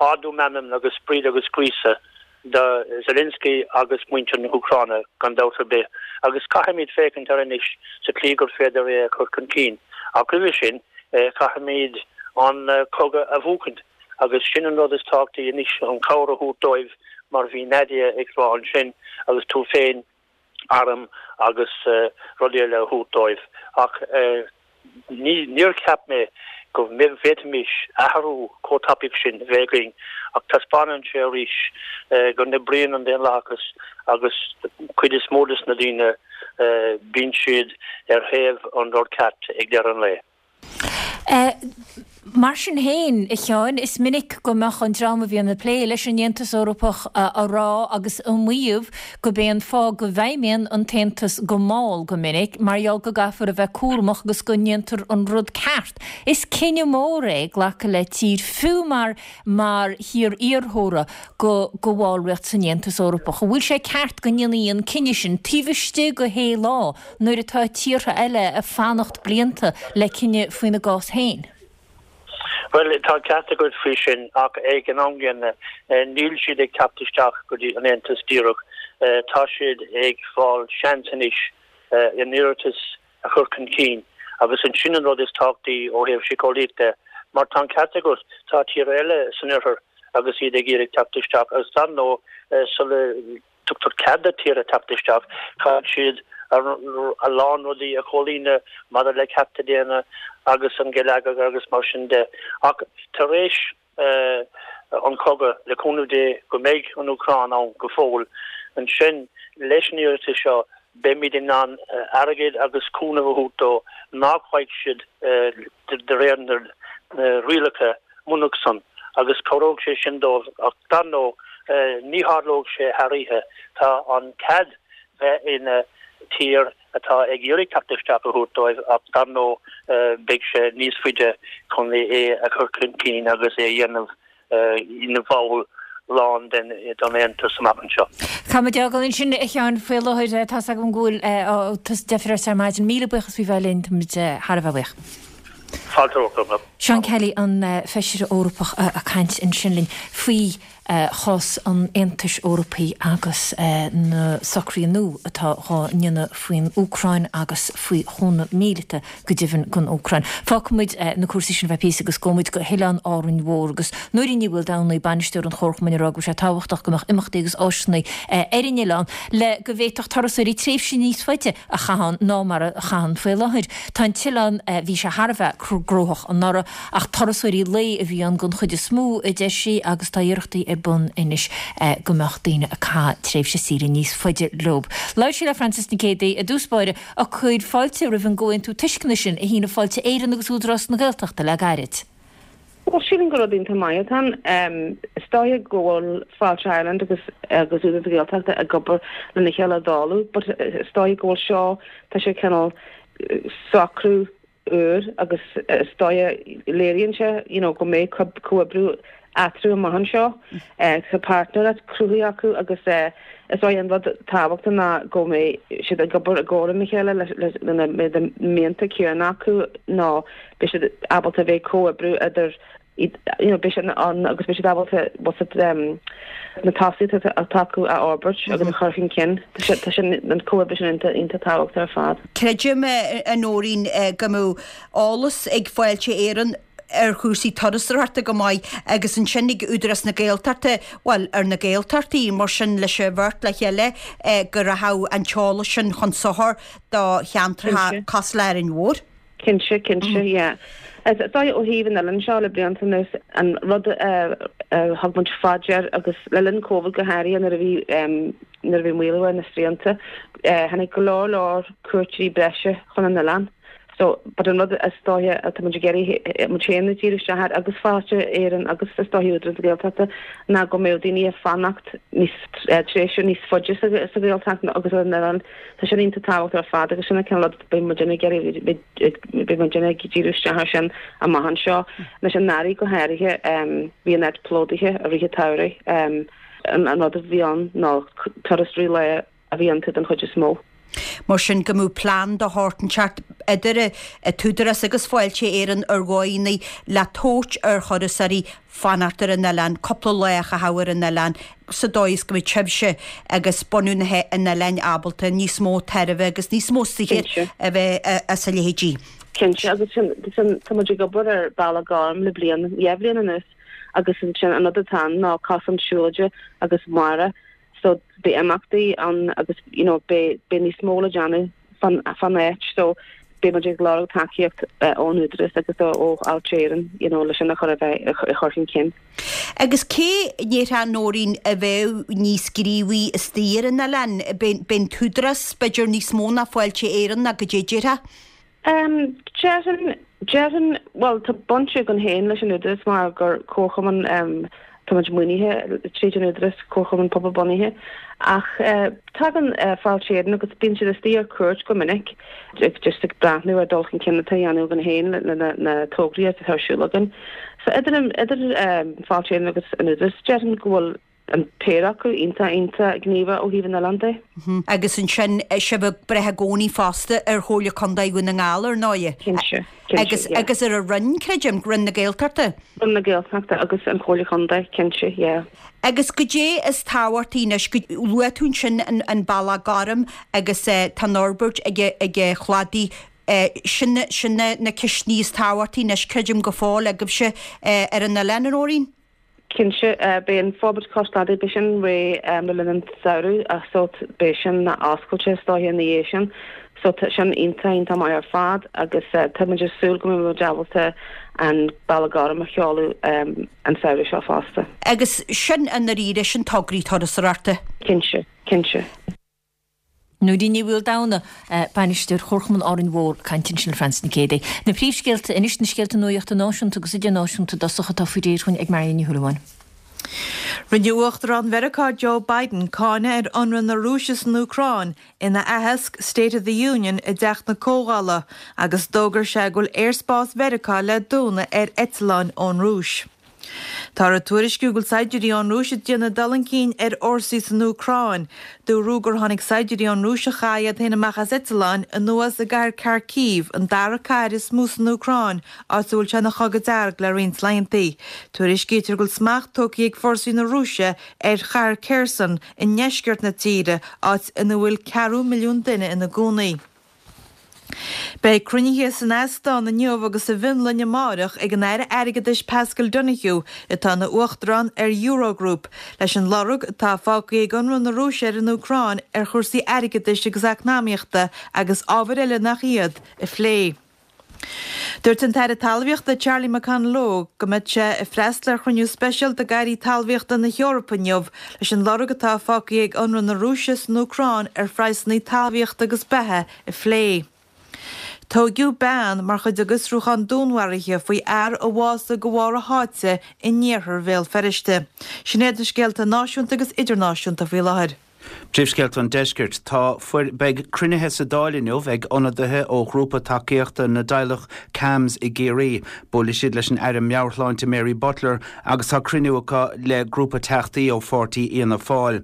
H: ardú meanman agus sprid agus gríosadh do Zelensky agus muintir na hÚcráine gan dabht ar bith agus caithfimid féachaint air anois sa tslí gur féidir é a chur chun cinn ach roimhe sin caithfimid an cogadh a bhuachaint agus sin an rud is tábhachtaí anois an chabhair a thabhairt dóibh mar bhí Nadia ag rá ansin agus tú féin. arm agus rudaí eile a thabhairt dóibh ach níor cheap mé go bhféadfaimis athrú chomh tapaidh sin bheith againn ach taispeánann sé arís go n-oibríonn an daonlathas agus cuid is mó des na daoine bíonn siad ar thaobh an rud ceart ag deireadh an lae.
A: Mar sin féin, a Sheáin, is minic go mbeadh an dream a bhíonn ag plé leis an Aontas Eorpach á rá agus á maíomh gurb é an fáth go bhfeidhmíonn an tAontas go mall go minic mar gheall go gcaithfear a bheith cúramach agus go ndéantar an rud ceart. Is cinneadh mór é glacadh le tír, fiú mar mar thír iarrthóra, go go bhallraíocht san Aontas Eorpach. An bhfuil sé ceart go ndéanfaí an cinneadh sin taobh istigh de shé lá nuair atá tíortha eile ag fanacht blianta le cinneadh faoina gcás féin?
H: Bhuel, tá an ceart agat faoi sin, ach ag an am gcéanna, níl siad ag teacht isteach go dtí an Aontas díreach. Tá siad ag fáil seans anois a n-iarratas a chur chun cinn, agus ansin an rud is tábhachtaí ó thaobh síceolaíoch de, mar tá an ceart agat, tá tíortha eile san oirthear agus iad ag iarraidh teacht isteach, agus dar ndóigh, sula dtugtar cead do tíortha teacht isteach, caithfidh siad a lán rudaí a chomhlíonadh maidir le cearta daonna agus an geilleagar agus mar sin de. Ach tar éis an chogadh, le cúnamh Dé go mbeidh an Úcráin ann go fóill, ansin leis an iarratas seo beimid in ann airgead agus cúnamh a thabhairt dó nach bhfaighidh siad de réir na rialacha murach san agus cabhróidh sé sin dóibh ach dar ndóigh ní tharlóidh sé thar oíche. Tá an cead bheith ina tír atá ag iarraidh teacht isteach a thabhairt dóibh ach dar ndóigh beidh sé níos faide chun é a chur chun cinn agus é a dhéanamh ina bhall lán den Aontas amach anseo.
A: Caithfidh muid é a fhágáil ansin, a Sheáin, faoi láthair. Tá's agam go bhfuil tusa deifir ort ar maidin. Míle buíochas faoi bheith linn, táimid thar a bheith buíoch.
H: Fáilte romhat.
A: Seán Kelly, an Feisire Eorpach ag caint ansin linn faoi chás an Aontais Eorpaigh agus na socruithe nua atá dhá ndéanamh faoin Úcráin agus faoi chúnamh míleata go deimhin don Úcráin. Fágfaidh muid na cúrsaí sin ar feadh píosa agus gabhfaidh muid go hOileán Árainn Mhór agus Nóirín Ní Mhaoldomhnaigh, bainisteoir an Chomharchumainn ag rá go bhfuil sé tábhachtach go mbeadh imeachtaí agus áiseanna ar an oileán le go bhféadfadh turasóirí tréimhse níos faide a chaitheamh ann ná mar a chaitheann faoi láthair. Tá an t-oileán, bhí sé thar a bheith gnóthach anuraidh ach turasóirí lae a bhí ann den chuid is mó, a deir sí, agus tá iarrachtaí ar bun anois go mbeadh daoine ag caitheamh tréimhse saoire níos faide leo. Labhair sí le Frances Nic Géadaigh i dtús báire ag cur fáilte roimh an gcomhaontú tuisceana sin a shínigh Fáilte Éireann agus Údarás na Gaeltachta le gairid.
I: Bhuel, sílim gur rud iontach maith atá ann. Is dóiche go bhfuil Fáilte Ireland agus agus Údarás na Gaeltachta ag obair lena chéile ó tharla, but is dóiche go bhfuil seo, tá sé cineál socrú úr agus is dóiche léiríonn sé you know go mbeidh comhoibriú eatarthu amach anseo. Tá páirtnéireacht cruthaithe acu agus is dóiche an rud tábhachtach ná go mbeidh siad ag obair i gcomhar lena chéile lena mbeidh na mianta céanna acu nó beidh siad ábalta a bheith comhoibriú idir you know beidh siad ann agus beidh siad ábalta what's it um na tosaíochtaí atá acu a fhorbairt agus a chur chun cinn. Tá sé tá sin an comhoibriú sin iontach iontach tábhachtach ar fad.
J: Creidim, a Nóirín, go mbeadh eolas ag Fáilte Éireann ar chúrsaí turasóireachta go maith agus ansin ag Údarás na Gaeltachta, bhuel, ar na Gaeltachtaí, mar sin leis an bheirt le chéile go rachadh an t-eolas sin chun sochair do cheantracha cosúil le Árainn Mhór.
I: Cinnte, cinnte, yeah. Is dóigh ó thaobh an oileáin seo le blianta anuas, an rud a thug muid fá dear agus le linn Covid go háirithe nuair a bhí nuair a bhí maolú ar na srianta, tháinig go leor leor cuairteoirí breise chun an oileáin. So, but an rud is dóiche atá muid ag iarraidh muid féin a díriú isteach air agus Fáilte Éireann agus is dóiche Údarás na Gaeltachta ná go mbeadh daoine ag fanacht níos tréimhse níos faide sa Ghaeltacht agus ar an oileán. Tá sin iontach tábhachtach ar fad agus sin an cineál rud beidh muid ag iarraidh beidh muid ag díriú isteach air sin amach anseo. Anois anuraidh go háirithe bhí an áit plódaithe i rith an tsamhraidh. An rud a bhí ann ná turasóirí lae a bhí iontu den chuid is mó.
J: Mar sin go mbeadh plean de shórt inteacht idir an tÚdarás agus Fáilte Éireann ar dhóigheanna le tabhairt ar thurasóirí fanacht ar an oileán, cúpla lá a chaitheamh ar an oileán sa dóigh is go mbeidh sibhse agus bunadh an oileáin ábalta níos mó tairbhe agus níos mó saothair a bheith as a leithéidí.
I: Cinnte, agus sin, tá muid ag obair ar Bealach Gorm le bliain, dhá bhliain anuas agus ansin an rud atá ann ná cosán siúlóide agus mara. So beidh imeachtaí ann agus you know beidh beidh níos mó le déanamh fan fan áit so beidh muid ag lorg tacaíocht ón Údarás agus ó Fháilte Éireann you know leis sin a chur a bheith a chur chun cinn.
J: Agus cé a déarfá Nóirín a bheadh níos gníomhaí istigh ar an oileán? B'é an tÚdarás b'fhéidir níos mó ná Fáilte Éireann ná goidé déarfá?
I: Um, déarfainn déarfainn well tá baint againn féin leis an Údarás mar gur comharchumann um, tá muid maoinithe tríd an Údarás comharchumann pobalbhunaithe ach uh, tagann uh, Fáilte Éireann agus bíonn siad istigh ar cuairt go minic just ag breathnú ar dul chun cinn atá á dhéanamh againn féin le na, na tograí atá ar siúl againn. So idir idir um, Fáilte Éireann agus an Údarás déarfainn go bhfuil an péire acu iontach iontach gníomhach ó thaobh an oileáin de.
J: Agus ansin sibh ag brath i gcónaí fosta ar Chomhairle Contae Dhún na nGall ar ndóigh.
I: Cinnte,
J: Agus agus ar an Roinn creidim, Roinn na Gaeltachta.
I: Roinn na Gaeltachta agus an Chomhairle Contae, cinnte, yeah.
J: Agus goidé is tábhachtaí anois go luaigh tú ansin an, an Bealach Gorm agus eh, tá an fhorbairt ag ag chladaí eh, sin sin na, na ceisteanna is tábhachtaí anois creidim go fóill agaibhse eh, ar an oileán a Nóirín.
I: Cinnte uh, beidh an forbairt cois cladaigh beidh sin réidh um, le linn an samhradh ach so beidh sin oscailte is dóiche ina dhiaidh sin. So tá sin iontach iontach maith ar fad agus uh, tá muid ag súil go mbeidh muid ábalta an Bealach Gorm a sheoladh um, an samhradh seo fosta.
J: Agus sin an aríre sin tograí turasóireachta.
I: Cinnte, cinnte.
A: Nóirín Ní Mhaoldomhnaigh, bainisteoir Chomharchumann Árainn Mhór, ag caint ansin le Frances Nic Géadaigh. Na príomhscéalta anois na scéalta nuachta náisiúnta agus idirnáisiúnta i dtosach atá faoi réir ag Marion Ní Shúilleabháin.
B: Rinne Uachtarán Mheiriceá Joe Biden cáineadh ar ionradh na Rúise san Úcráin ina aitheasc State of the Union i dTeach na Comhdhála agus d'fhógair sé go bhfuil aerspás Mheiriceá le dúnadh ar eitleáin ón Rúis. Tá tuairiscí go bhfuil saighdiúirí ón Rúis ag déanamh dul chun cinn ar fhórsaí san Úcráin. Dúradh gur tháinig saighdiúirí ón Rúis a chaith iad féin amach as eitleán anuas i gcathair Kharkiv, an dara cathair is mó san Úcráin, áit a bhfuil sé ina chogadh dearg le roinnt laethanta. Tuairiscítear go bhfuil smacht tógtha ag fórsaí na Rúise ar chathair Kherson i ndeisceart na tíre, áit ina bhfuil ceathrú milliún duine ina gcónaí. Beidh cruinnithe san Óstán inniu agus sa bhFionlainn amárach ag an Aire Airgeadais Paschal Donohoe atá ina uachtarán ar Eurogroup, leis an lorg atá fágtha ag ionradh na Rúise ar an Úcráin ar chúrsaí airgeadais agus eacnamaíochta agus ábhair eile nach iad a phlé. Dúirt an tAire Talmhaíochta Charlie McConalogue go mbeidh sé ag freastal ar chruinniú speisialta d'airí talmhaíochta na hEorpa inniu leis an lorg atá fágtha ag ionradh na Rúise san Úcráin ar phraghsanna talmhaíochta agus beatha a phlé. Tógadh bean mar chuid de fhiosrúchán dúnmharaithe faoi fhear a bhásaigh de bharr a sháite in iarthar Bhéal Feirste. Sin iad na scéalta náisiúnta agus idirnáisiúnta faoi láthair.
C: Príomhscéalta an Deiscirt tá fuair beidh cruinnithe sa Dáil inniu ag ionadaithe ó ghrúpa tacaíochta na dteaghlach CAMHS i gCiarraí. Buailfidh siad leis an Aire Meabhairshláinte Mary Butler agus tá cruinniú acu le grúpa teachtaí ó pháirtí Fhianna Fáil.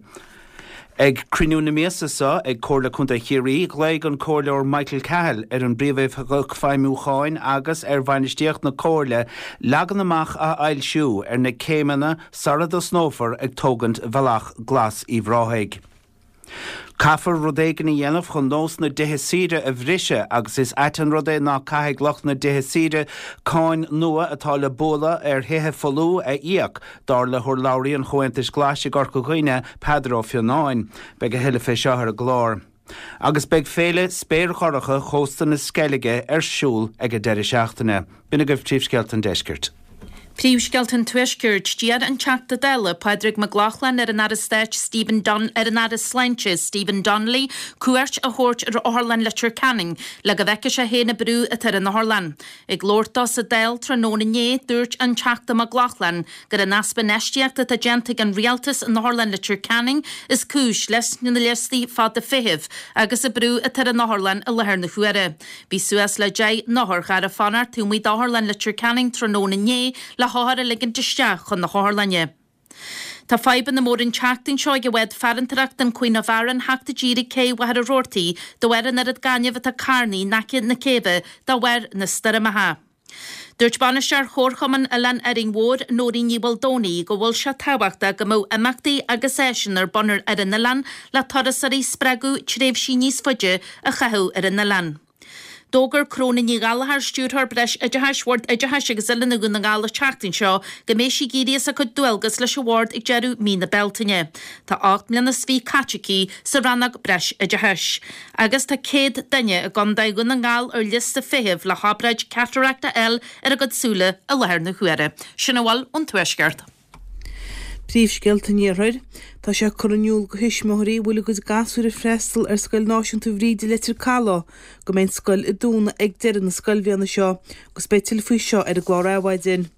C: Ag cruinniú na míosa seo ag Comhairle Contae Chiarraí, ghlaoigh an Comhairleoir Michael Cahill ar an bPríomhoifigeach Feidhmiúcháin agus ar bhainistíocht na Comhairle leagan amach a fhoilsiú ar na céimeanna sara dtosnófar ag tógaint Bhealach Glas Uíbh Ráthaigh. Caithfear rud éigin a dhéanamh chun nós na dtithe saoire a bhriseadh agus is ait an rud é ná caithfidh lucht na dtithe saoire cáin nua atá le bualadh ar thithe folmha a íoc, dar le hurlabhraí an Chomhaontais Ghlais i gCorca Dhuibhne, Peadar Ó Fionnáin. Beidh a thuilleadh fé seo ar an gclár. Agus beidh féile spéir dhorcha chósta na Sceilge ar siúl ag an deireadh seachtaine. B'in agaibh príomhscéalta an deiscirt.
D: Príomhscéalta an Tuaiscirt, d'iarr an Teachta Dála Pádraig Mac Lochlainn ar an Aire Stáit Stephen Don ar an Aire Sláinte Stephen Donnelly cuairt a thabhairt ar Otharlann Leitir Ceanainn le go bhfeicfidh sé féin an brú atá ar an otharlann. Ag labhairt dó sa Dáil tráthnóna inné, dúirt an Teachta Mac Lochlainn gur an easpa infheistíochta atá déanta ag an rialtas in Otharlann Leitir Ceanainn is cúis leis na liostaí fada feithimh agus an brú atá ar an otharlann i láthair na huaire. Bhí suas le deich n-otharcharr ag fanacht taobh amuigh d'Otharlann Leitir Ceanainn tráthnóna inné le hothair a ligint isteach chun na hotharlainne. Tá fadhbanna móra an tseachtain seo ag an bhád farantóireachta an Queen of Aran theacht i dtír ag cé Mhachaire Rabhartaigh de bharr an oiread gainimh atá carnaithe in aice na céibhe de bharr na stoirmeacha. Dúirt bainisteoir Chomharchumann Oileán Árainn Mhór, Nóirín Ní Mhaoldomhnaigh, go bhfuil sé tábhachtach go mbeadh imeachtaí agus áiseanna ar bun ar an oileán le turasóirí a spreagadh tréimhsí níos faide a chaitheamh ar an oileán. D'fhógair Cróna Ní Ghallchóir, Stiúrthóir Breis Oideachais Bhord Oideachais agus Oiliúna Dhún na nGall an tseachtain seo go mbeidh sí ag éirí as a cuid dualgas leis an Bhord ag deireadh mí na Bealtaine. Tá ocht mbliana is fiche caite aici sa rannóg Breis Oideachais. Agus tá céad duine i gContae Dhún na nGall ar liosta feithimh le hobráid catarachta a fháil ar a gcuid súile i láthair na huaire. Sin a bhfuil ón Tuaisceart.
E: Príomhscéalta an Iarthair. Tá sé curtha in iúl go thuismitheoirí a bhfuil a gcuid gasúir ag freastal ar Scoil Náisiúnta Bhríde Leitir Caladh go mbeidh an scoil ag dúnadh ag deireadh na scoilbhliana seo agus beidh tuilleadh faoi seo ar an gclár Adhmhaidin.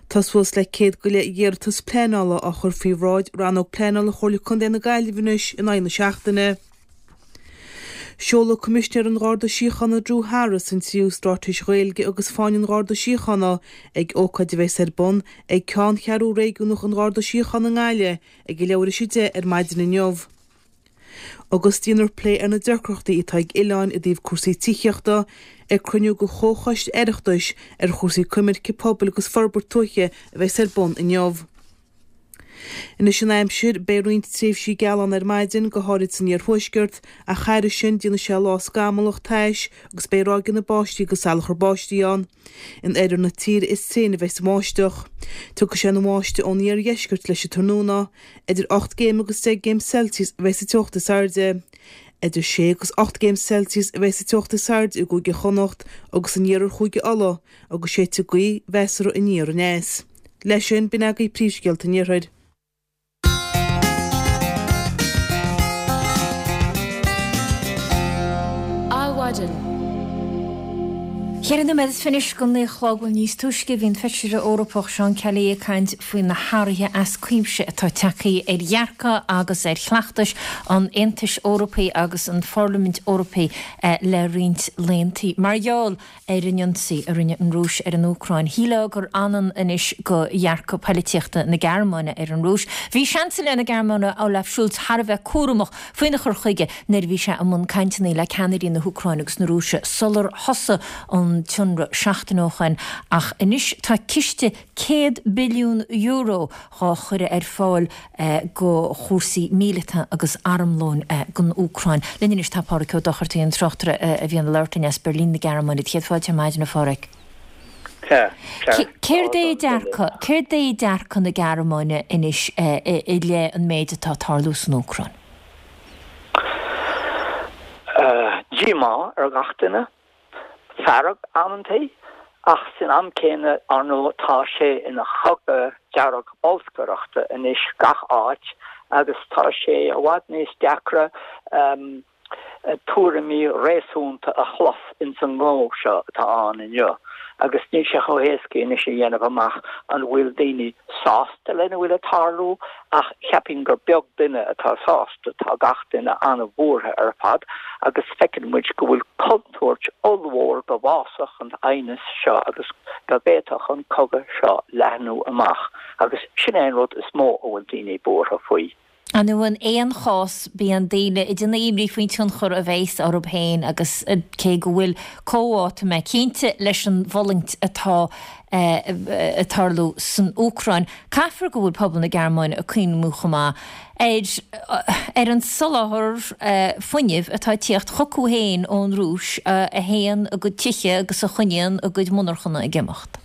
E: Tá suas le céad go leith iarratas pleanála á chur faoi bhráid Rannóg Pleanála Chomhairle Contae na Gaillimhe anois in aghaidh na seachtaine. Seolfaidh Coimisinéir an Gharda Síochána Drew Harris an tríú Straitéis Ghaeilge agus Fáinne an Gharda Síochána ag ócáid a bheas ar bun ag Ceanncheathrú Réigiúnach an Gharda Síochána i nGaillimh ag a leathuair tar éis a deich ar maidin inniu. Agus déanfar plé ar na deacrachtaí atá ag oileáin i dtaobh cúrsaí tithíochta ag cruinniú de Chomhchoiste Oireachtais ar chúrsaí coimirce pobail agus forbairt tuaithe a bheas ar bun inniu. Anois an aimsir, beidh roinnt tréimhsí geala ann ar maidin, go háirid san iarthuaisceart, ach thairis sin déanfaidh sé lá scamallach tais agus beidh ráigeanna báistí agus salachar báistí ann. In oirthear na tíre is tréine a bheas an bháisteach. Tiocfaidh sé ina bháisteach ón iardheisceart leis an tráthnóna. Idir ocht gcéim agus deich gcéim Celsius a bheas an teocht is airde. Idir sé agus ocht gcéim Celsius a bheas an teocht is airde i gCúige Chonnacht agus in iarthar Chúige Uladh agus séidfidh gaoth mheasartha aniar aneas. Leis sin, b'in agaibh príomhscéalta an iarthair.
A: Adhmhaidin. Ceithre nóiméad is fiche anois go naoi a chlog bhuel níos túisce bhí an Feisire Eorpach Seán Kelly ag caint faoi na hathruithe as cuimse atá tagtha ar dhearcadh agus ar chleachtais an Aontais Eorpaigh agus an Pharlaimint Eorpaigh le roinnt laethanta mar gheall ar an ionsaí a rinne an Rúis ar an Úcráin. Shílfeá gur anann anois go dhearcadh poilitíochta na Gearmáine ar an Rúis. Bhí Seansailéir na Gearmáine Olaf Scholz thar a bheith cúramach faoina chur chuige nuair a bhí sé i mbun cainteanna le ceannairí na hÚcráine agus na Rúise sular thosaigh an t-ionradh seachtain ó shoin. Ach anois tá ciste céad billiún euro dhá chur ar fáil go chúrsaí míleata agus armlóin don Úcráin. Linn anois tá Pádhraic Ó Dochartaigh, an tráchtaire a bhíonn ag labhairt linn as Beirlín na Gearmáine. Céad fáilte ar maidin, a Phádhraic.
K: Sea, sea.
A: Céard é dearcadh, céard é dearcadh na Gearmáine anois i leith an méid atá ag tarlú san Úcráin?
K: Díomá ar gach duine. Fearg amantaí, ach san am céanna, ar ndóigh, tá sé ina chogadh dearg bolscaireachta anois gach áit agus tá sé i bhfad níos deacra tuairimí réasúnta a chlos ins an ngnó seo atá ann inniu agus níl sé chomh héasca anois a dhéanamh amach an bhfuil daoine sásta lena bhfuil ag tarlú ach cheapfainn gur beag duine atá sásta, tá gach duine an-bhuartha ar fad agus feiceann muid go bhfuil contúirt ollmhór go bhfásfadh an t-aighneas seo agus go bhféadfadh an cogadh seo leathnú amach agus sin é an rud is mó a bhfuil daoine buartha faoi.
A: Ar ndóigh in aon chás bíonn daoine ag déanamh imní faoin tionchar a bheas orthu féin agus cé go bhfuil comhbhá, tá mé cinnte, leis an bhfulaingt atá ag tarlú san Úcráin, caithfear go bhfuil pobal na Gearmáine ag cuimhniú chomh maith ar ar an soláthar fuinnimh atá ag tíocht chucu féin ón Rúis a théann a gcuid tithe agus a choinníonn a gcuid monarchana ag imeacht.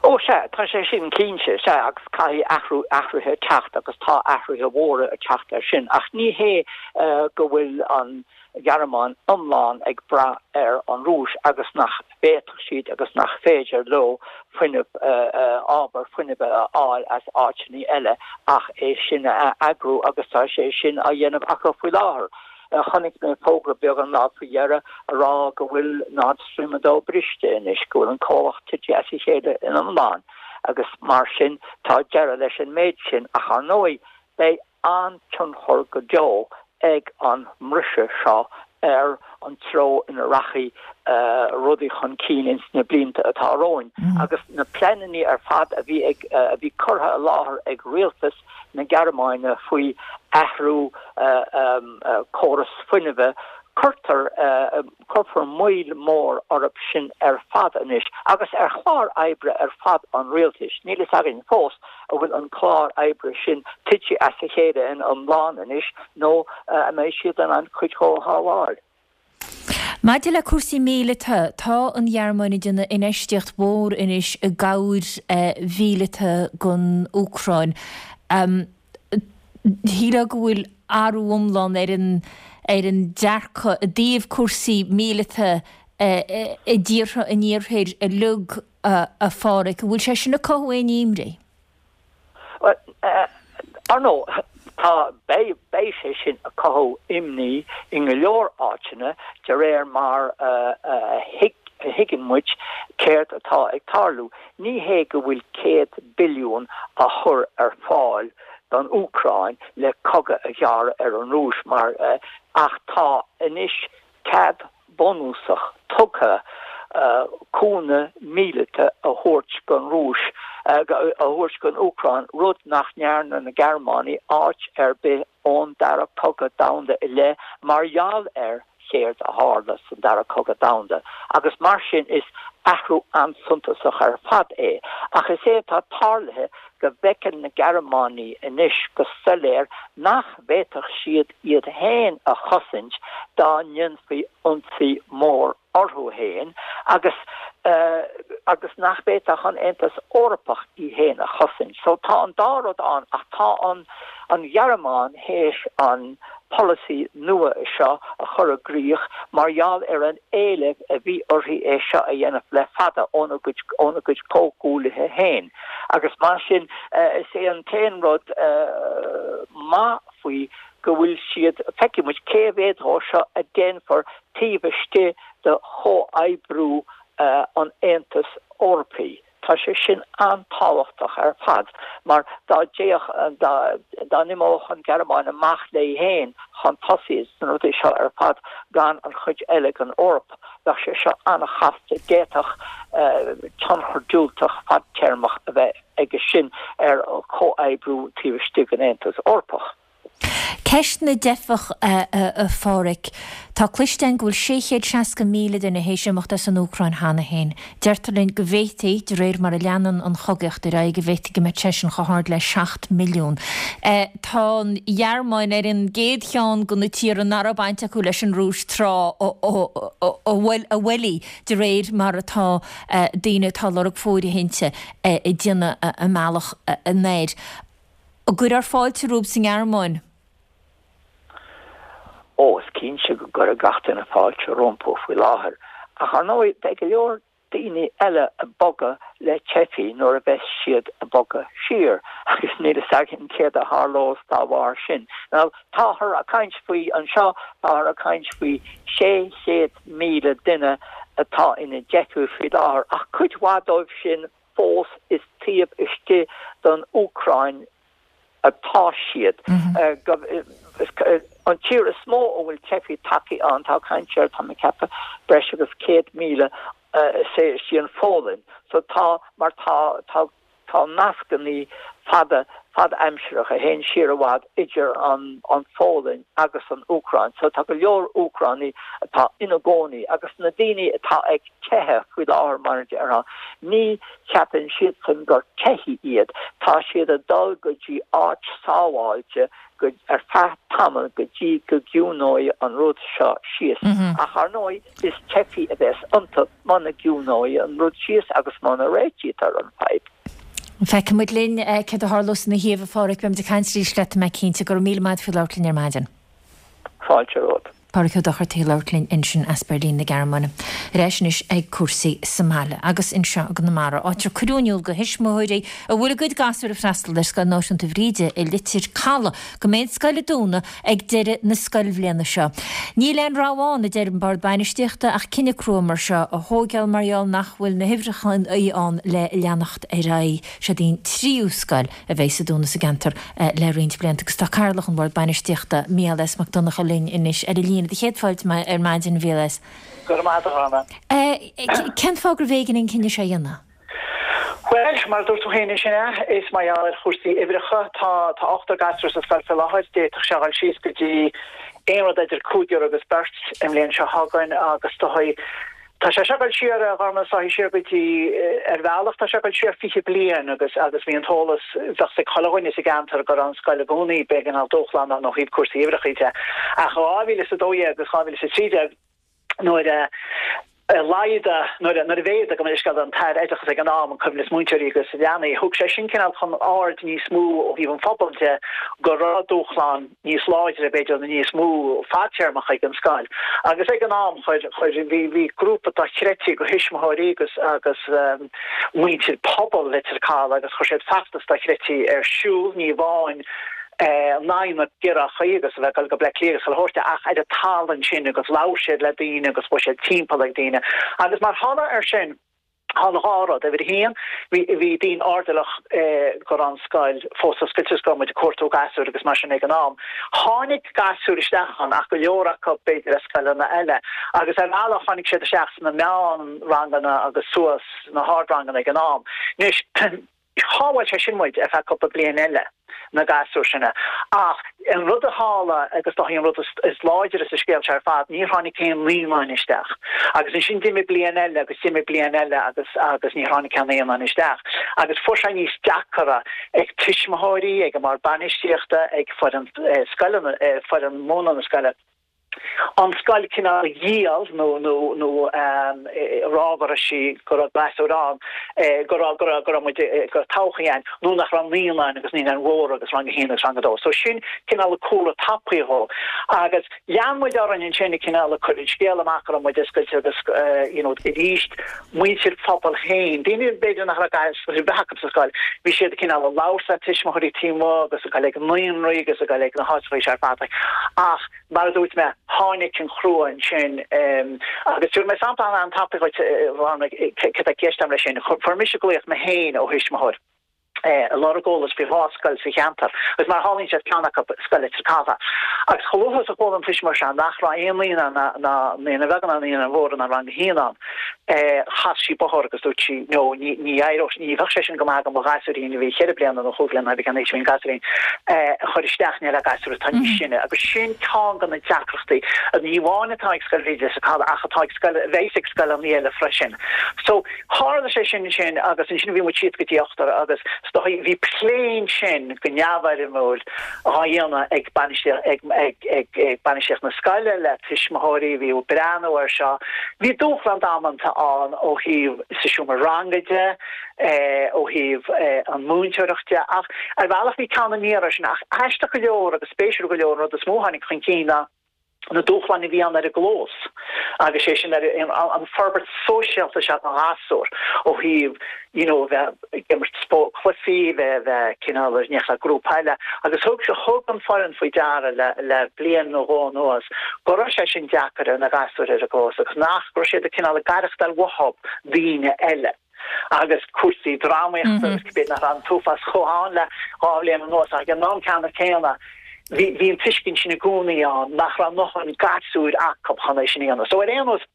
K: Ó sea, tá sé sin cinnte, sea, agus caithfidh athrú, athruithe teacht agus tá athruithe mhóra ag teacht air sin, ach ní hé go bhfuil an Ghearmáin iomlán ag brath ar an Rúis agus nach bhféadfadh siad agus nach féidir leo fuinneamh, ábhar fuinnimh a fháil as áiteanna eile ach é sin a eagrú agus tá sé sin á dhéanamh acu faoi láthair. Chonaic mé fógra beag an lá faoi dheireadh a rá go bhfuil Nord Stream a dó briste anois, go bhfuil an comhlacht tite as a chéile in iomlán agus mar sin tá deireadh leis an méid sin. Ach ar ndóigh beidh an-tionchar go deo ag an mbriseadh seo ar an treo ina rachaidh rudaí chun cinn ins na blianta atá romhainn. Agus na pleananna ar fad a bhí ag, a bhí curtha i láthair ag rialtas na Gearmáine faoi athrú córas fuinnimhe, cuirtear, cuirfear moill mhór orthu sin ar fad anois agus ar chlár oibre ar fad an rialtais. Níl fhios againn fós an bhfuil an clár oibre sin tite as a chéile in iomlán anois nó an mbeidh siad in ann cuid dhó a shábháil.
A: Maidir le cúrsaí míleata, tá an Ghearmáin ag déanamh infheistíocht mhór anois i gcabhair mhíleata don Úcráin. Shílfeá go bhfuil athrú iomlán ar an ar an dearcadh i dtaobh cúrsaí míleata i dtíortha an Iarthair uilig, a Pháraic. An bhfuil sé sin ag cothú aon imní?
K: Bhuel, ar ndóigh, tá, beidh, beidh sé sin ag cothú imní i go leor áiteanna de réir mar a thuigeann muid céard atá ag tarlú. Ní hé go bhfuil céad billiún á chur ar fáil don Úcráin le cogadh a ghearradh ar an Rúis mar ach tá anois cead bunúsach tugtha cúnamh míleata a thabhairt don Rúis, a thabhairt don Úcráin, rud nach ndearna na Gearmánaigh áit ar bith ón Dara Cogadh Domhanda i leith mar gheall ar chéard a tharla san Dara Cogadh Domhanda agus mar sin is athrú an-suntasach ar fad é. Ach is é atá tarlaithe go bhfeiceann na Gearmánaigh anois go soiléir nach bhféadfadh siad iad féin a chosaint dá ndéanfaí ionsaí mór orthu féin agus agus nach bhféadfadh an Aontas Eorpach í féin a chosaint. So tá an dá rud ann ach tá an an Ghearmáin théis an polasaí nua seo a chur i gcrích mar gheall ar an éileamh a bhí uirthi é seo a dhéanamh le fada óna gcuid óna gcuid comhghuaillithe féin agus mar sin is é an t-aon rud maith faoi go bhfuil siad, feicfidh muid cé mhéad dhó seo a déanfar taobh istigh de chomhoibriú an Aontais Eorpaigh. Tá sé sin an-tábhachtach ar fad mar dá dtéadh, dá n-imeodh an Ghearmáin amach léi féin chun tosaigh sna rudaí seo ar fad gan an chuid eile den Eoraip, bheadh sé seo an-chasta, d'fhéadfadh tionchar diúltach fadtéarmach a bheith aige sin ar chomhoibriú taobh istigh den Aontas Eorpach.
A: Ceist na dteifeach, a Pháraic. Tá cloiste againn go bhfuil sé chéad seasca míle duine théis imeacht as an Úcráin cheana féin. Deirtear linn go bhféadfaí, de réir mar a leanann an chogaíocht ar aghaidh, go bhféadfaí go mbeadh sé sin chomh hard le seacht milliún. Tá an Ghearmáin ar an gcéad cheann de na tíortha nach raibh baint acu leis an Rúis tráth a bhailigh de réir mar atá daoine atá ag lorg fóirithinte ag déanamh a mbealach anoir. An gcuirfear fáilte rompu sa nGearmáin?
K: Ó, is cinnte go gcuirfeadh gach duine fáilte rompu faoi láthair. Ach ar ndóigh, beidh go leor daoine eile ag bogadh le teifigh nuair a bheas siad ag bogadh siar agus níl a fhios againn céard a tharlós dá bharr sin. Now, táthar ag caint faoi anseo, táthar ag caint faoi sé chéad míle duine atá ina dteifigh faoi láthair ach cuid mhaith dóibh sin fós is taobh istigh den Úcráin atá siad. An tír is mó a bhfuil teifigh tagtha ann, tá caint ar, tá mé ag ceapadh, breis agus céad míle, is é is í an Pholainn. So tá, mar tá, tá, tá nascannaí fada, fad-aimsireach a théann siar i bhfad idir an, an Pholainn agus an Úcráin. So tá go leor Úcránaigh atá ina gcónaí agus na daoine atá ag teitheadh faoi láthair, mar a déarfá, ní cheapann siadsan gur teifigh iad, tá siad ag dul go dtí áit sábháilte go ar feadh tamaill go dtí go gciúnóidh an rud seo síos. Ach ar ndóigh is teifigh a bheas iontu muna gciúnóidh an rud síos agus muna réitítear an fadhb.
A: Feicfidh muid linn céard a tharlós ina thaobh, a Pháraic. Beimid ag caint arís leat, tá mé cinnte. Go raibh míle maith agat faoi labhairt linn ar maidin.
K: Fáilte romhat.
A: Páraic Ó Dochartaigh ag labhairt linn ansin as Beirlín na Gearmáine. Ar ais anois ag cúrsaí sa mbaile agus anseo i gConamara, áit ar cuireadh in iúl do thuismitheoirí a bhfuil a gcuid gasúr ag freastal ar Scoil Náisiúnta Bhríde i Leitir Caladh go mbeidh an scoil ag dúnadh ag deireadh na scoilbhliana seo. Níl aon rogha ann, a deir an Bord Bainistíochta, ach cinneadh crua mar seo a thóigeáil mar gheall nach bhfuil na huimhreacha ann le leanacht ar aghaidh. Seod í an tríú scoil a bheas ag dúnadh sa gceantar le roinnt blianta agus tá Cathaoirleach an Bhord Bainistíochta, Mícheál S. Mac Donncha linn anois ar an líne. Do chéad fáilte ar maidin, a Mhícheáil S.
L: Go raibh maith agat, a
A: Shauna. Cén fáth gurbh éigean an cinneadh seo a dhéanamh?
L: Bhuel, mar a dúirt tú féin ansin é, is mar gheall ar chúrsaí uimhreacha. Tá tá ochtar gasúr sa scoil faoi láthair, d'fhéadfadh sé a dhul síos go dtí aon rud idir cúigear agus beirt i mbliain seo chugainn agus dóigh Tá sé seo ag dul siar, a Ghormain, is dóichí, siar go dtí, ar bhealach, tá sé ag dul siar fiche bliain agus agus bhí an t-eolas, bheadh 's ag chuile dhuine sa gceantar go raibh an scoil i gcónaí, b'éigean dúshlán ó thaobh cúrsaí uimhreacha de. Ach dhá mhíle is a dó dhéag agus dhá mhíle is a trí déag, Nuair a laghdaigh, nuair a mhéadaigh, gabh mo leithscéal, an tAire Oideachais ag an am, an coibhneas múinteoirí agus leanaí, thug sé sin cineál chun aird níos mó ó thaobh an phobail de go raibh dúshlán níos láidre, b'fhéidir, nó níos mó fadtéarmach ag an scoil. Agus ag an am, chuir, chuir, bhí, bhí grúpa dochreidte de thuismitheoirí agus, agus muintir pobal Leitir Caladh agus chuir siad feachtas dochreidte ar siúl, ní amháin in aghaidh na gciorruithe agus a bheith ag dul go Bleá Cliath agus chuile shórt ach ar an talamh ansin agus labhair siad le daoine agus chuaigh siad timpeall ag daoine agus mar thoradh air sin tharla dhá rud. Uimhir a haon, bhí bhí daoine airdeallach go raibh an scoil fós oscailte agus go raibh muid ag cuartú gasúir agus mar sin ag an am. Tháinig gasúir isteach ann ach go leor acu b'fhéidir as scoileanna eile agus ar bhealach tháinig siad isteach sna meánranganna agus suas sna hardranganna ag an am. Anois, Shábháil sé sin muid ar feadh cúpla bliain eile, na gasúir sin. Ach an rud a tharla, agus is dóichí an rud is láidre sa scéal seo ar fad, níor tháinig aon naíonáin isteach. Agus ansin d'imigh bliain eile agus d'imigh bliain eile agus agus níor tháinig aon naíonáin isteach. Agus fuair sé níos deacara ag tuismitheoirí, ag an mbord bainistíochta, ag foireann scoile, foireann múineadh na scoile, an scoil cineál a dhíol nó nó nó a rá go raibh sí go raibh gasúir ann go raibh go raibh go raibh muid go raibh todhchaí ann nó nach raibh naíonáin agus naíonáin mhóra agus rang a haon agus rang a dó. So sin cineál an cúlra tapaidh dhó. Agus lean muid orainn ansin ag cineál ag cur an scéal amach go raibh muid oscailte agus you know arís muintir phobal féin, daoine b'fhéidir nach raibh gasúir ar bith acu sa scoil, bhí siad cineál ag labhairt le tuismitheoirí taobh amuigh agus ag dul ag naíonraí agus ag dul ag na háiteacha seo ar fad ach Mar a dúirt mé, tháinig an chrua ansin agus tabharfaidh mé sampla an-tapaidh dhuit, céard atá i gceist agam leis sin. Fuair mise glaoch mé féin ó thuismitheoir ag lorg eolais faoi dhá scoil sa cheantar agus mar a tharlaíonn sé is ceann acu Scoil Leitir Caladh. Agus chomh luath is a chuala an tuismitheoir seo nach raibh aon naíonán ná naíonáin bheaga ná naíonáin mhóra ná rang a haon ann, chas sí bóthar agus dúirt sí no ní ní éireodh ní bheadh sé sin go maith do mo ghasúirín a bhí cheithre bliana nó chúig bliana cibé cén aois a bhí an gasúirín a chur isteach ní le gasúr atá níos sine agus sin ceann de na deacrachtaí ní amháin atá ag Scoil Bhríde Leitir Caladh ach atá ag scoil a bheas ag scoileanna eile freisin. So tharla sé sin ansin agus ansin bhí muid síos go dtí ochtar agus is dóigh bhí plé ansin go neamhfhoirmiúil á dhéanamh ag bainistíocht na scoile le tuismitheoirí, bhí ag breathnú air seo. Bhí dúshlán damanta ann ó thaobh sa seomra ranga de, ó thaobh an mhúinteoireacht de, ach ar bhealach bhí teann aniar air sin. Ach aisteach go leor agus spéisiúil go leor an rud is mó a tháinig chun cinn ná, na dúshláin a bhí ann ar an gclós agus sé sin ar an forbairt sóisialta seo don ghasúr ó thaobh you know bheith ag imirt cluichí, bheith bheith cineál in éineacht le grúpa eile agus thug thug an foireann faoi deara le le bliain nó dhó anuas go raibh sé sin deacair ar na gasúir ar an gclós agus nach raibh siad ag cineál ag aireachtáil uathub daoine eile. agus cúrsaí drámaíochta agus cibé nach raibh an t-uafás chomh ann le dhá bhliain anuas ach ag an am ceanna céanna bhí bhí an tuiscint sin i gcónaí ann nach raibh a ndóthain gasúir acu chun é sin a dhéanamh. So ar aon nós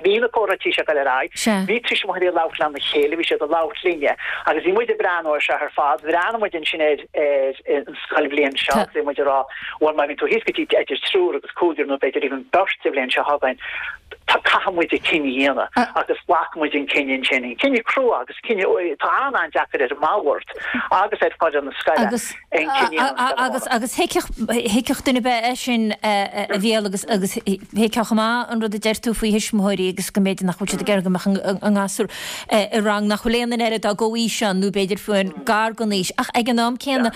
L: bhí na comhráití seo ag dul ar aghaidh, bhí tuismitheoirí ag labhairt lena chéile, bhí siad ag labhairt linne agus bhí muid ag breathnú air seo ar fad, bhreathnaigh muid ansin ar ar an scoilbhliain seo agus bhí muid ag rá bhuel má bhíonn tú thíos go dtí idir triúr agus cúigear nó b'fhéidir even beirt sa bhliain seo chugainn, caithfidh muid an cinneadh a dhéanamh agus ghlac muid an cinneadh ansin, an cinneadh crua agus cinneadh atá an-an-deacair ar an mbord agus ar foireann na scoile
A: Agus
L: an cinneadh a dhéanamh scoile
A: agus agus thuigfeadh duine ar bith é sin a Mhícheáil agus agus thuigfeadh chomh maith an rud a deir tú faoi thuismitheoirí agus go mb'fhéidir nach bhfuil siad ag iarraidh go mbeadh a ngasúr i rang nach bhfuil aon duine eile dá gcomhaois ann nó b'fhéidir fiú gar don aois ach ag an am céanna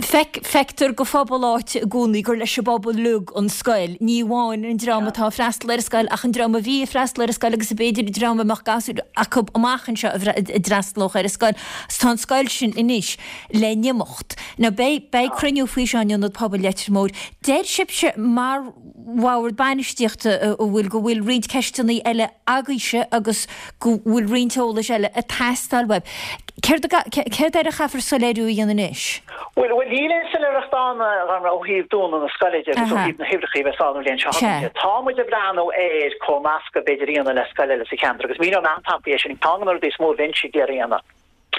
A: Feic, feictear do phobal áite i gcónaí gur leis an bpobal uilig an scoil, ní amháin an dream atá ag freastal ar an scoil ach an dream a bhí ag freastal ar an scoil agus b'fhéidir an dream a mbeadh gasúir acu amach anseo a d'fhreastalódh ar an scoil. Agus tá an scoil sin anois le n-imeacht. Now beidh, beidh cruinniú faoi seo in Ionad Pobail Leitir Móir. Deir sibhse mar bhord bainistíochta a bhfuil, go bhfuil roinnt ceisteanna eile agaibhse agus go bhfuil roinnt eolais eile ag teastáil uaibh. Céard céard air a chaithfear soiléiriú a dhéanamh anois?
L: Bhuel, bhuel, níl aon soiléireacht ann, a Ghormfhlaith, ó thaobh dúnadh na scoile de agus ó thaobh na huimhreacha a bheas ann an bhliain seo chugainn de. Tá muid ag breathnú ar comhnascadh b'fhéidir a dhéanamh le scoil eile sa cheantar agus míneoidh mé an-tapaidh é sin. Ceann de na rudaí is mó a bheinnse ag iarraidh a dhéanamh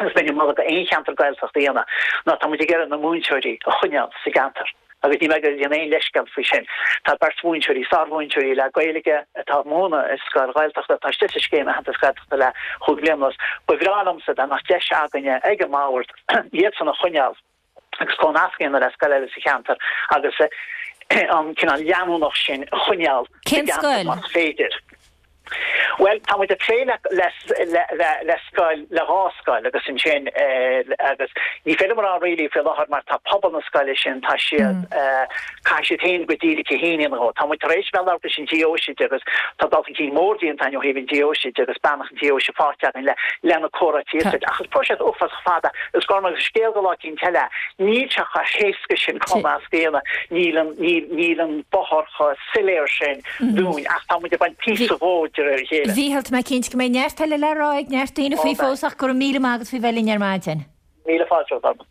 L: agus bheinn ag moladh do aon cheantar Gaeltachta a dhéanamh ná tá muid ag iarraidh na múinteoirí a choinneáil sa gceantar. Agus níl mé ag déanamh aon leithscéal faoi sin. Tá beirt mhúinteoirí, sármhúinteoirí le Gaeilge atá ag múineadh i scoil Ghaeltachta atá istigh sa scéim aitheantas Gaeltachta le chúig bliana anuas. Ba bhreá liomsa dá mbeadh deis againne ag an mbord iadsan a choinneáil agus comhnasc a dhéanamh le scoil eile sa cheantar agus an cineál leanúnach sin a choinneáil sa
A: Cén
L: gceantar
A: scoil?
L: más féidir. Bhuel, tá muid ag plé le le le le le scoil, le dhá scoil agus ansin agus ní féidir liom a rá really faoi láthair mar tá pobal na scoile sin, tá siad, caithfidh siad féin go díreach a fhéin a Tá muid tar éis bheith ag labhairt leis an deoise agus tá dul chun cinn mór déanta againn ó thaobh an deoise de agus beannacht an deoise faighte againn le le na comhráití is ach is próiseas uafásach fada is Gorm agus scéal go lá éicint eile. Níl sé chomh héasca sin cumasc a dhéanamh, níl an níl níl an bóthar chomh soiléir sin dúinn ach tá muid ag baint píosa dhó de réir a chéile.
A: A Mhíchíl, tá mé cinnte go mbeidh neart eile le rá ag neart daoine faoi fós ach go raibh míle maith agat faoi bheith linn ar maidin.
L: Míle fáilte romhat, Gorm.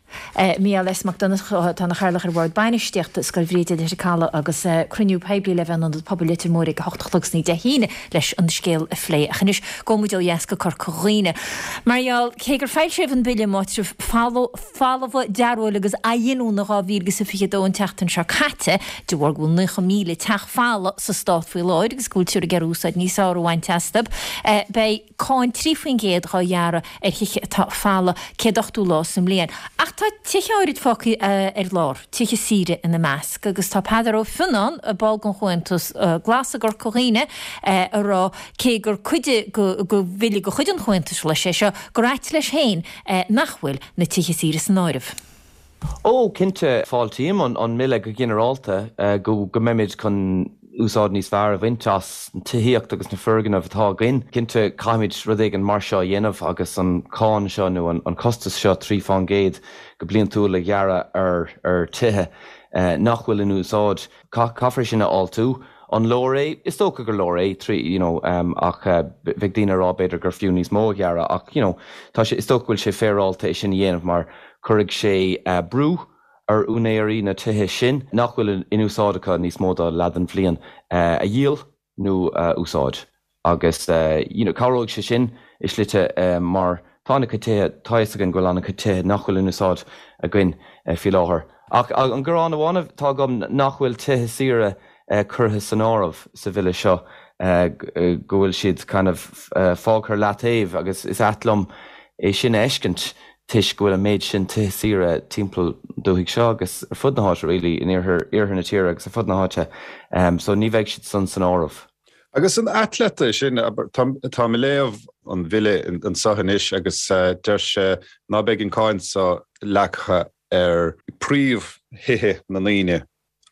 A: Mícheál S. Mac Donncha atá ina chathaoirleach ar Bhord Bainistíochta Scoil Bhríde Leitir Caladh agus cruinniú poiblí le bheith in Ionad Pobail Leitir Móir ag a hocht a chlog san oíche Dé hAoine leis an scéal a phlé. Ach anois gabhfaidh muid ó dheas go Corca Dhuibhne. Mar gheall, cé gur foilsíodh an Bille um Áitribh Folmha, Dearóile agus Athghiniúna dhá mhíle agus a fiche a dó an tseachtain seo caite, de bharr go bhfuil naocha míle teach folamh sa stát faoi láthair agus go bhfuiltear ag iarraidh úsáid níos fearr a bhaint astu, beidh cáin trí faoin gcéad dhá ghearradh ar thithe atá folamh céad ochtó lá sa mbliain. Ach tá tithe áirid fágtha ar lár, tithe saoire ina measc, agus tá Peadar Ó Fionnáin, ball den Chomhaontas Glas i gCorca Dhuibhne, ag rá cé gur cuid de bhille de chuid an Chomhaontais Ghlais é seo, gur ait leis féin nach bhfuil na tithe saoire san áireamh.
M: Ó, cinnte, fáiltím an an mbille go ginearálta, go go mbeimid chun úsáid níos fearr a bhaint as an tithíocht agus na foirgnimh atá againn. Cinnte, caithfimid rud éigin mar seo a dhéanamh agus an cáin seo nó an costas seo trí fán gcéad go bliantúil a ghearradh ar ar tithe nach bhfuil in úsáid. Caithfear sin a fháiltiú. An leor é? Is dócha gur leor é trí you know ach bheadh daoine ag rá b'fhéidir gur fiú níos mó a ghearradh ach you know tá sé is dócha go bhfuil sé féaráilte é sin a dhéanamh mar cuirfidh sé brú ar úinéirí na tithe sin nach bhfuil in úsáid acu níos mó ná leath den bhliain a dhíol nó a úsáid agus you know cabhróidh sé sin i slite mar tá an-chuid tithe, tá a fhios againn go bhfuil an-chuid tithe nach bhfuil in úsáid againn faoi láthair. Ach an gearán amháin atá agam nach bhfuil tithe saoire curtha san áireamh sa bhille seo, go bhfuil siad kind of fágtha ar leataobh agus is ait liom é sin a fheiscint toisc go bhfuil an méid sin tithe saoire timpeall an dúthaigh seo agus ar fud na háite really, in iarthar iarthar na tíre agus ar fud na háite. So ní bheidh siad san san áireamh.
N: Agus an ait leat é sin, táim ag léamh an bhille anseo anois agus deir sé ná beidh an cáin seo leagtha ar príomhthithe na ndaoine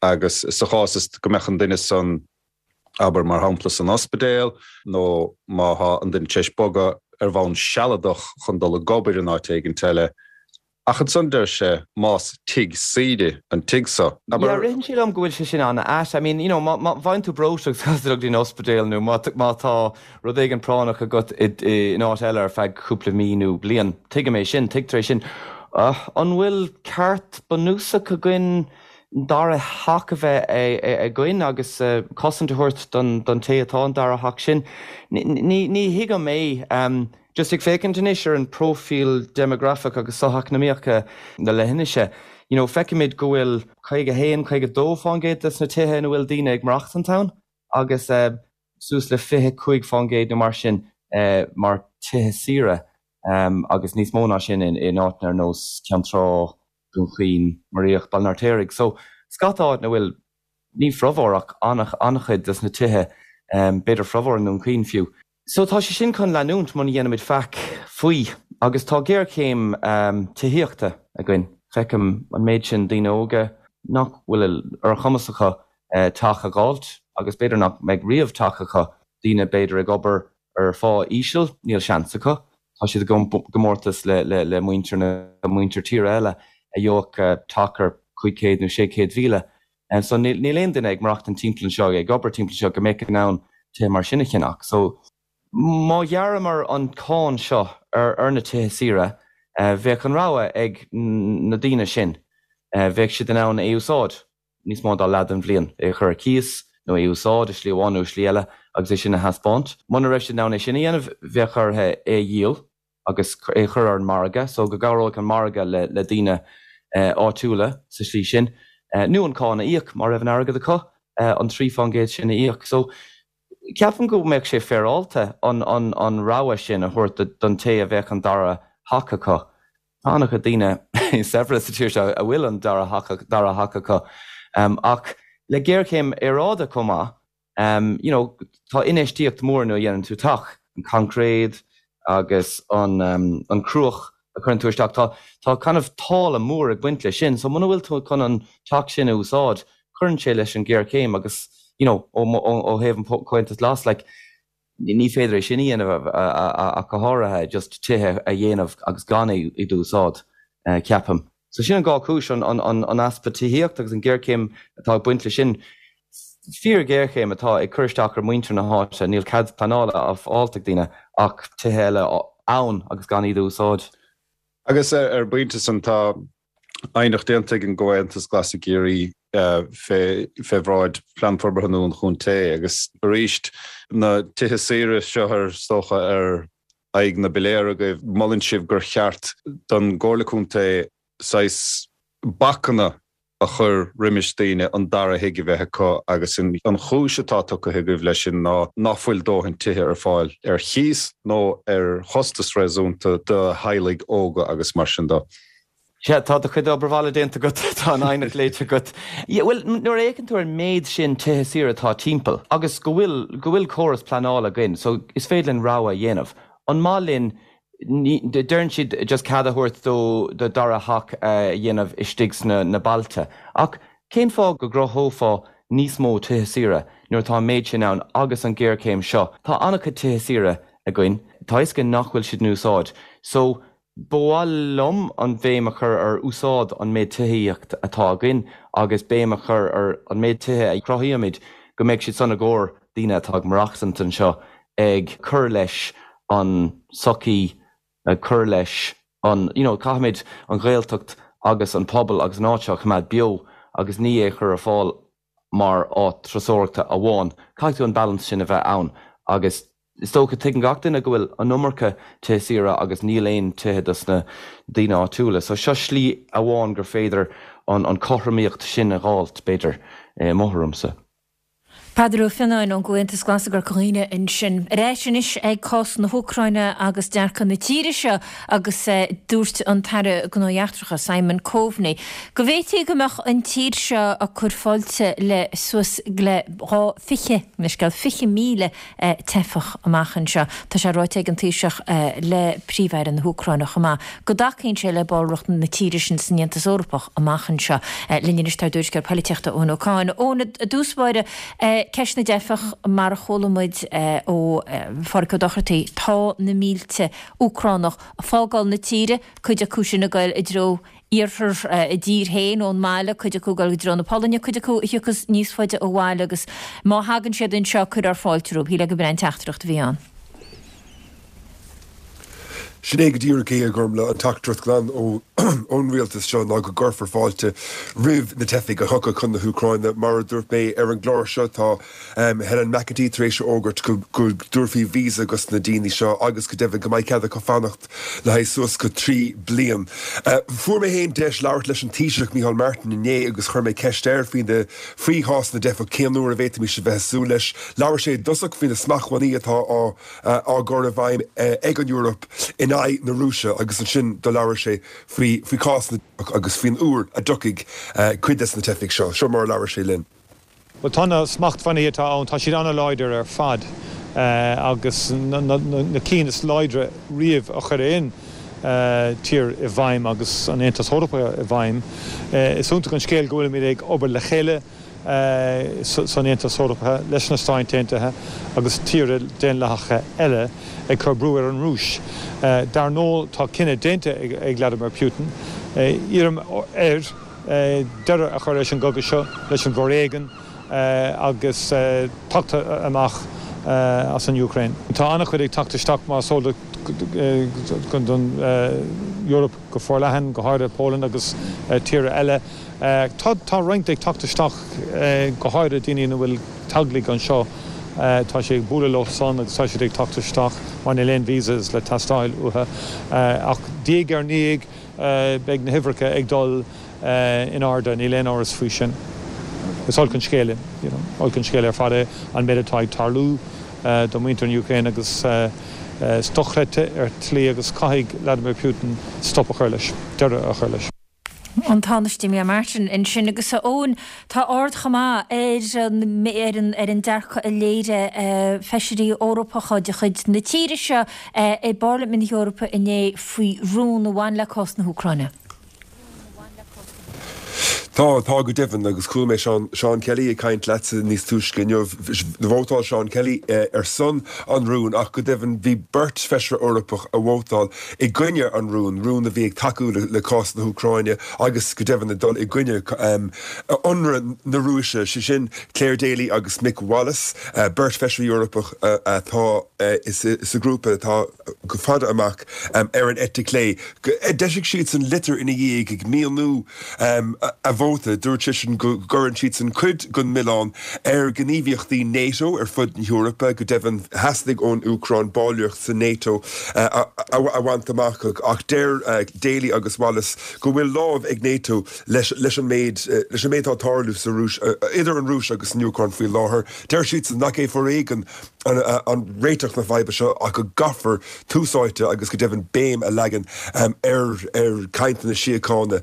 N: agus sa chás is go mbeadh an duine san, abair mar shampla san ospidéal nó má thá an duine tar éis bogadh ar bhonn sealadach chun dul ag obair in áit éigint eile. Ach ansan deir sé más tigh saoire an tigh so,
M: Yeah,
N: abair.
M: ritheann sé liom go bhfuil sé sin an-ait. I mean, you know, má má bhfaigheann tú breoiteacht agus caithfidh tú dul go dtí an ospidéal nó má má tá rud éigin práinneach agat i in áit eile ar feadh cúpla mí nó bliain, tuigim é sin, tuigtear é sin. An bhfuil ceart bunúsach againn dara theach a bheith againn agus cosaint a thabhairt don té atá an dara theach sin? Ní ní thuigim é. Just ag féachaint anois ar an próifíl déimeagrafach agus socheacnamaíoch na leithinise, you know, feicimid go bhfuil caoga a haon, caoga a dó fán gcéad des na tithe ina bhfuil daoine ag maireachtaint ann agus suas le fiche cúig fán gcéad nó mar sin mar tithe saoire agus níos mó ná sin in áiteanna ar nós Ceann Trá, Dún Chaoin, Muiríoch, Baile an Fheirtéaraigh. So, scata áit ina bhfuil, ní formhór ach an-chuid des na tithe, b'fhéidir formhór i nDún Chaoin fiú. So tá sé sin chun leanúint muna dhéanaimid faic faoi agus tá géarchéim tithíochta againn. Feicim an méid sin daoine óga nach bhfuil ar a chumas acu teach a dh'fháilt agus b'fhéidir nach mbeidh riamh teach acu, daoine b'fhéidir ag obair ar phá íseal, níl seans acu, tá siad i gcomórtas le muintir na muintir tíre eile a gheobhadh teach ar cúig chéad nó sé chéad mhíle. So níl aon duine ag maireachtaint timpeall anseo, ag obair timpeall anseo go mbeadh in ann tithe mar sin a cheannach. So má ghearramar an cáin seo ar na tithe saoire, bheadh an rogha ag na daoine sin, bheadh siad in ann é a úsáid. níos mó ná leath den bhliain, é a chur ar cíos nó é a úsáid i slí amháin nó i slí eile agus é sin a thaispeáint. Muna raibh siad in ann é sin a dhéanamh, bheadh orthu é a dhíol agus é a chur ar an margadh so go gcabhróidh an margadh le le daoine áitiúla sa slí sin, nó an cáin a íoc má raibh an airgead acu, an trí fán gcéad sin a íoc. So ceapaim go mbeadh sé féaráilte an an an rogha sin a thabhairt don té a bheadh an dara theach acu. Tá an-chuid daoine saibhre sa tír seo a bhfuil an dara theach acu ach Le géarchéim aeráide chomh maith, um, you know, tá infheistíocht mór nuair a dhéanann tú teach, an concrete agus an, um, an cruach a chuireann tú isteach, tá, tá kind of táille mór ag baint leis sin, so muna bhfuil tú chun an teach sin a úsáid, cuireann sé leis an géarchéim agus you know, ó, ó, ó thaobh an Comhaontas Glas, like, ní féidir é sin a dhéanamh ach go háirithe just tithe a dhéanamh agus gan iad a úsáid, ceapaim. So sin an dhá chúis, an easpa tithíocht agus an géarchéim atá ag baint leis sin. Fíor-ghéarchéim atá ag cur isteach ar mhuintir na háite, níl cead pleanála á fháilt ag daoine ach tithe eile ann agus gan iad a úsáid.
N: Agus ar an bpointe san tá aighneacht déanta ag an gComhaontas Glas i gCiarraí fé bhráid Plean Forbartha nua an Chontae agus arís na tithe saoire seo ar is dócha ar aghaidh na bpiléar agaibh, molann sibh gur cheart don gComhairle Contae saghas bacanna a chur roimis daoine an dara thigh a bheith acu agus an chúis atá tugtha agaibh leis sin ná nach bhfuil dóthain tithe ar fáil ar chíos nó ar chostas réasúnta do theaghlaigh óga agus mar sin de.
M: Sea, tá do chuid obair bhaile déanta agat, tá an aighneacht léite agat. Yeah, bhuel, nuair a fhéachann tú ar an méid sin tithe saoire atá timpeall agus go bhfuil, go bhfuil córas pleanála againn, so is féidir linn rogha a dhéanamh. An maith linn, ní, deireann siad just cead a thabhairt do, do dara theach a dhéanamh istigh sna, na bailte. Ach cén fáth go gcruthófá níos mó tithe saoire nuair atá an méid sin ann agus an ghéarchéim seo? Tá an-chuid tithe saoire againn, tá a fhios againn nach bhfuil siad in úsáid. So, Ba mhaith liom an bhéim a chur ar úsáid an méid tithíocht atá againn agus béim a chur ar an méid tithe a chruthaímid go mbeidh siad san i gcomhair daoine atá ag maireachtaint anseo, ag cur leis an sochaí, ag cur leis an, you know, caithfimid an Ghaeltacht agus an pobal agus an áit seo a choimeád beo agus ní é a chur ar fáil mar áit turasóireachta amháin. Caithfidh tú an balance sin a bheith ann agus. Is dócha, tuigeann gach duine go bhfuil an iomarca tithe saoire agus níl aon tithe dos na daoine áitiúla. So seo slí amháin gur féidir an an cothromaíocht sin a dh'fháilt, b'fhéidir, i mo thuairimse.
A: Peadar Ó Fionnáin ón gComhaontas Glas i gCorca Dhuibhne ansin. Ar ais anois ag cás na hÚcráine agus dearcadh na tíre seo agus dúirt an tAire Gnóthaí Eachtracha Simon Coveney go bhféadfaí go mbeadh an tír seo ag cur fáilte le suas le dhá fiche, leithscéal, fiche míle teifeach amach anseo. Tá sé ráite ag an Taoiseach le Príomh-Aire na hÚcráine chomh maith go dtacaíonn sé le ballraíocht na tíre sin san Aontas Eorpach amach anseo. Linn anois tá ár dtuairisceoir polaitíochta Eoin Ó Cadhain. Eoin, i dtús báire, ceist na dteifeach, mar a chuala muid ó Phádhraic Ó Dochartaigh, tá na mílte Úcránach ag fágáil na tíre, cuid acu sin ag goil i dtreo iarthar a dtír féin ón mbaile, cuid acu ag dul i dtreo na Polainne, cuid acu a thiocfas níos faide ó bhaile agus má thagann siad anseo cuirfear fáilte rompu. Shílfeá gurb in an teachtaireacht a bhí ann.
O: Sin é go díreach é, a Ghormfhlaith, an teachtaireacht glan ón rialtas seo ná go gcuirfear fáilte roimh na teifigh a thiocfaidh chun na hÚcráine. Mar a dúirt mé ar an gclár seo, tá Helen McEntee tar éis a fhógairt go dtabharfaí visa dos na daoine seo agus go deimhin go mbeidh cead acu fanacht le haghaidh suas go trí bliain. Fuair mé féin deis labhairt leis an Taoiseach Micheál Martin inné agus chuir mé ceist air faoi na faoi chás na dteifeach, cén uair a bhféadfaimis a bheith ag súil leis. Labhair sé i dtosach faoi na smachtbhannaí atá á á gcur i bhfeidhm ag an Eoraip in aghaidh na Rúise agus ansin do labhair sé faoi faoi chás na dteifeach agus faoin uair a dtiocfaidh cuid des na teifigh seo. Seo mar a labhair sé linn.
P: Bhuel, tá na smachtbhannaí atá ann, tá siad an-láidir ar fad agus na cinn is láidre riamh a chuir aon tír i bhfeidhm agus an Aontas Eorpach i bhfeidhm. Is iontach an scéal go bhfuilimid ag obair le chéile san Aontas Eorpach leis na Stáit Aontaithe agus tíortha daonlathacha eile ag cur brú ar an Rúis. Dar ndóigh, tá cinneadh déanta ag Vladimir Putin. Iarraim air deireadh a chur leis an gcogadh seo, leis an bhforéigean agus teacht amach as an Úcráin. Tá an-chuid ag teacht isteach mar is eol duit don Eoraip go forleathan, go háirithe Poland agus tíortha eile. Tá roinnt ag teacht isteach, go háirithe daoine ina bhfuil teaghlaigh anseo. Tá sé ag bualadh leo san agus tá siad ag teacht isteach mar níl aon visas le teastáil uathu. Ach diaidh ar ndiaidh beidh na huimhreacha ag dul in airde, níl aon amhras faoi sin. Is olc an scéal é, you know, olc an scéal ar fad é an méid atá ag tarlú do mhuintir na Úcráine agus is dochreidte ar shlí agus caithfidh Vladimir Putin stop a chur leis, deireadh a chur leis.
A: An Tánaiste Micheál Martin ansin agus a Eoin, tá aird chomh maith ar an ar an ar an dearcadh a léirigh feisirí Eorpacha de chuid na tíre seo i bParlaimint na hEorpa inné faoi rún a bhain le cás na hÚcráine.
O: Tá, tá go deimhin agus chuala mé Seán, Seán Kelly ag caint leatsa níos túisce inniu. Vótáil Seán Kelly ar son an rúin ach go deimhin bhí beirt feisire Eorpach a vótáil i gcoinne an rúin, rún a bhí ag tacú le, le cás na hÚcráine agus go deimhin ag dul i gcoinne ionradh na Rúise, sé sin Clare Daly agus Mick Wallace, beirt feisire Eorpach atá sa ghrúpa atá go fada amach ar an eite chlé. D'eisigh siadsan litir ina dhiaidh ag míniú a vóta. Dúirt siadsan go gcuireann siadsan cuid den mhilleán ar ghníomhaíochtaí NATO ar fud na hEorpa, go deimhin theastaigh ón Úcráin ballraíocht sa NATO a bhaint amach ach deir Daly agus Wallace go bhfuil lámh ag NATO leis an méid leis an méid atá ag tarlú sa Rúis idir an Rúis agus an Úcráin faoi láthair. Deir siadsan nach é foréigean an réiteach na faidhbe seo ach go gcaithfear tús áite agus go deimhin béim a leagan ar ar chainteanna síochána.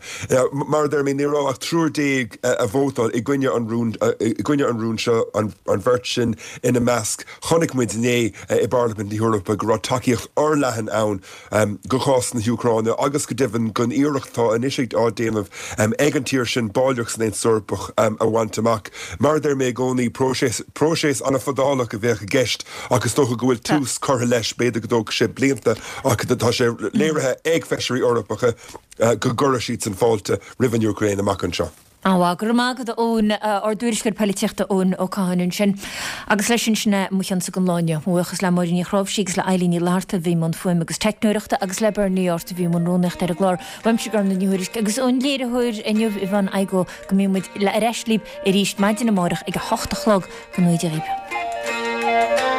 O: Mar a deir mé, ní raibh ach triúr déag a vótáil i gcoinne an rúin i gcoinne an rúin seo, an bheirt sin ina measc. Chonaic muid inné i bParlaimint na hEorpa go raibh tacaíocht fhorleathan ann do chás na hÚcráine agus go deimhin don iarracht atá anois á déanamh ag an tír sin ballraíocht san Aontas Eorpach a bhaint amach. Mar a deir mé i gcónaí, próiseas próiseas an-fhadálach a bheadh i gceist ach is dócha go bhfuil tús curtha leis, b'fhéidir go dtógfaidh sé blianta ach tá sé léirithe ag feisirí Eorpacha go gcuirfidh siadsan fáilte roimh an Úcráin amach anseo.
A: An-mhaith, go raibh maith agat a Eoin, ár dtuairisceoir poilitíochta Eoin Ó Catháin ansin. Agus leis sin, sin é mo chionsa don lá inniu. Mo bhuíochas le Máirín Ní Chráimhsí agus le Eilín Ní Fhlatharta a bhí i mbun fuaime agus teicneoireachta agus le Bernie Art a bhí i mbun rúnaíochta ar an gclár. Uaimse Gormlaith Ní Thuairisg agus ón léiritheoir inniu Yvonne Igoe go mbíonn muid ar ais libh arís maidin amárach ag a hocht a chlog. Go ngnóthaí Dia dhaoibh.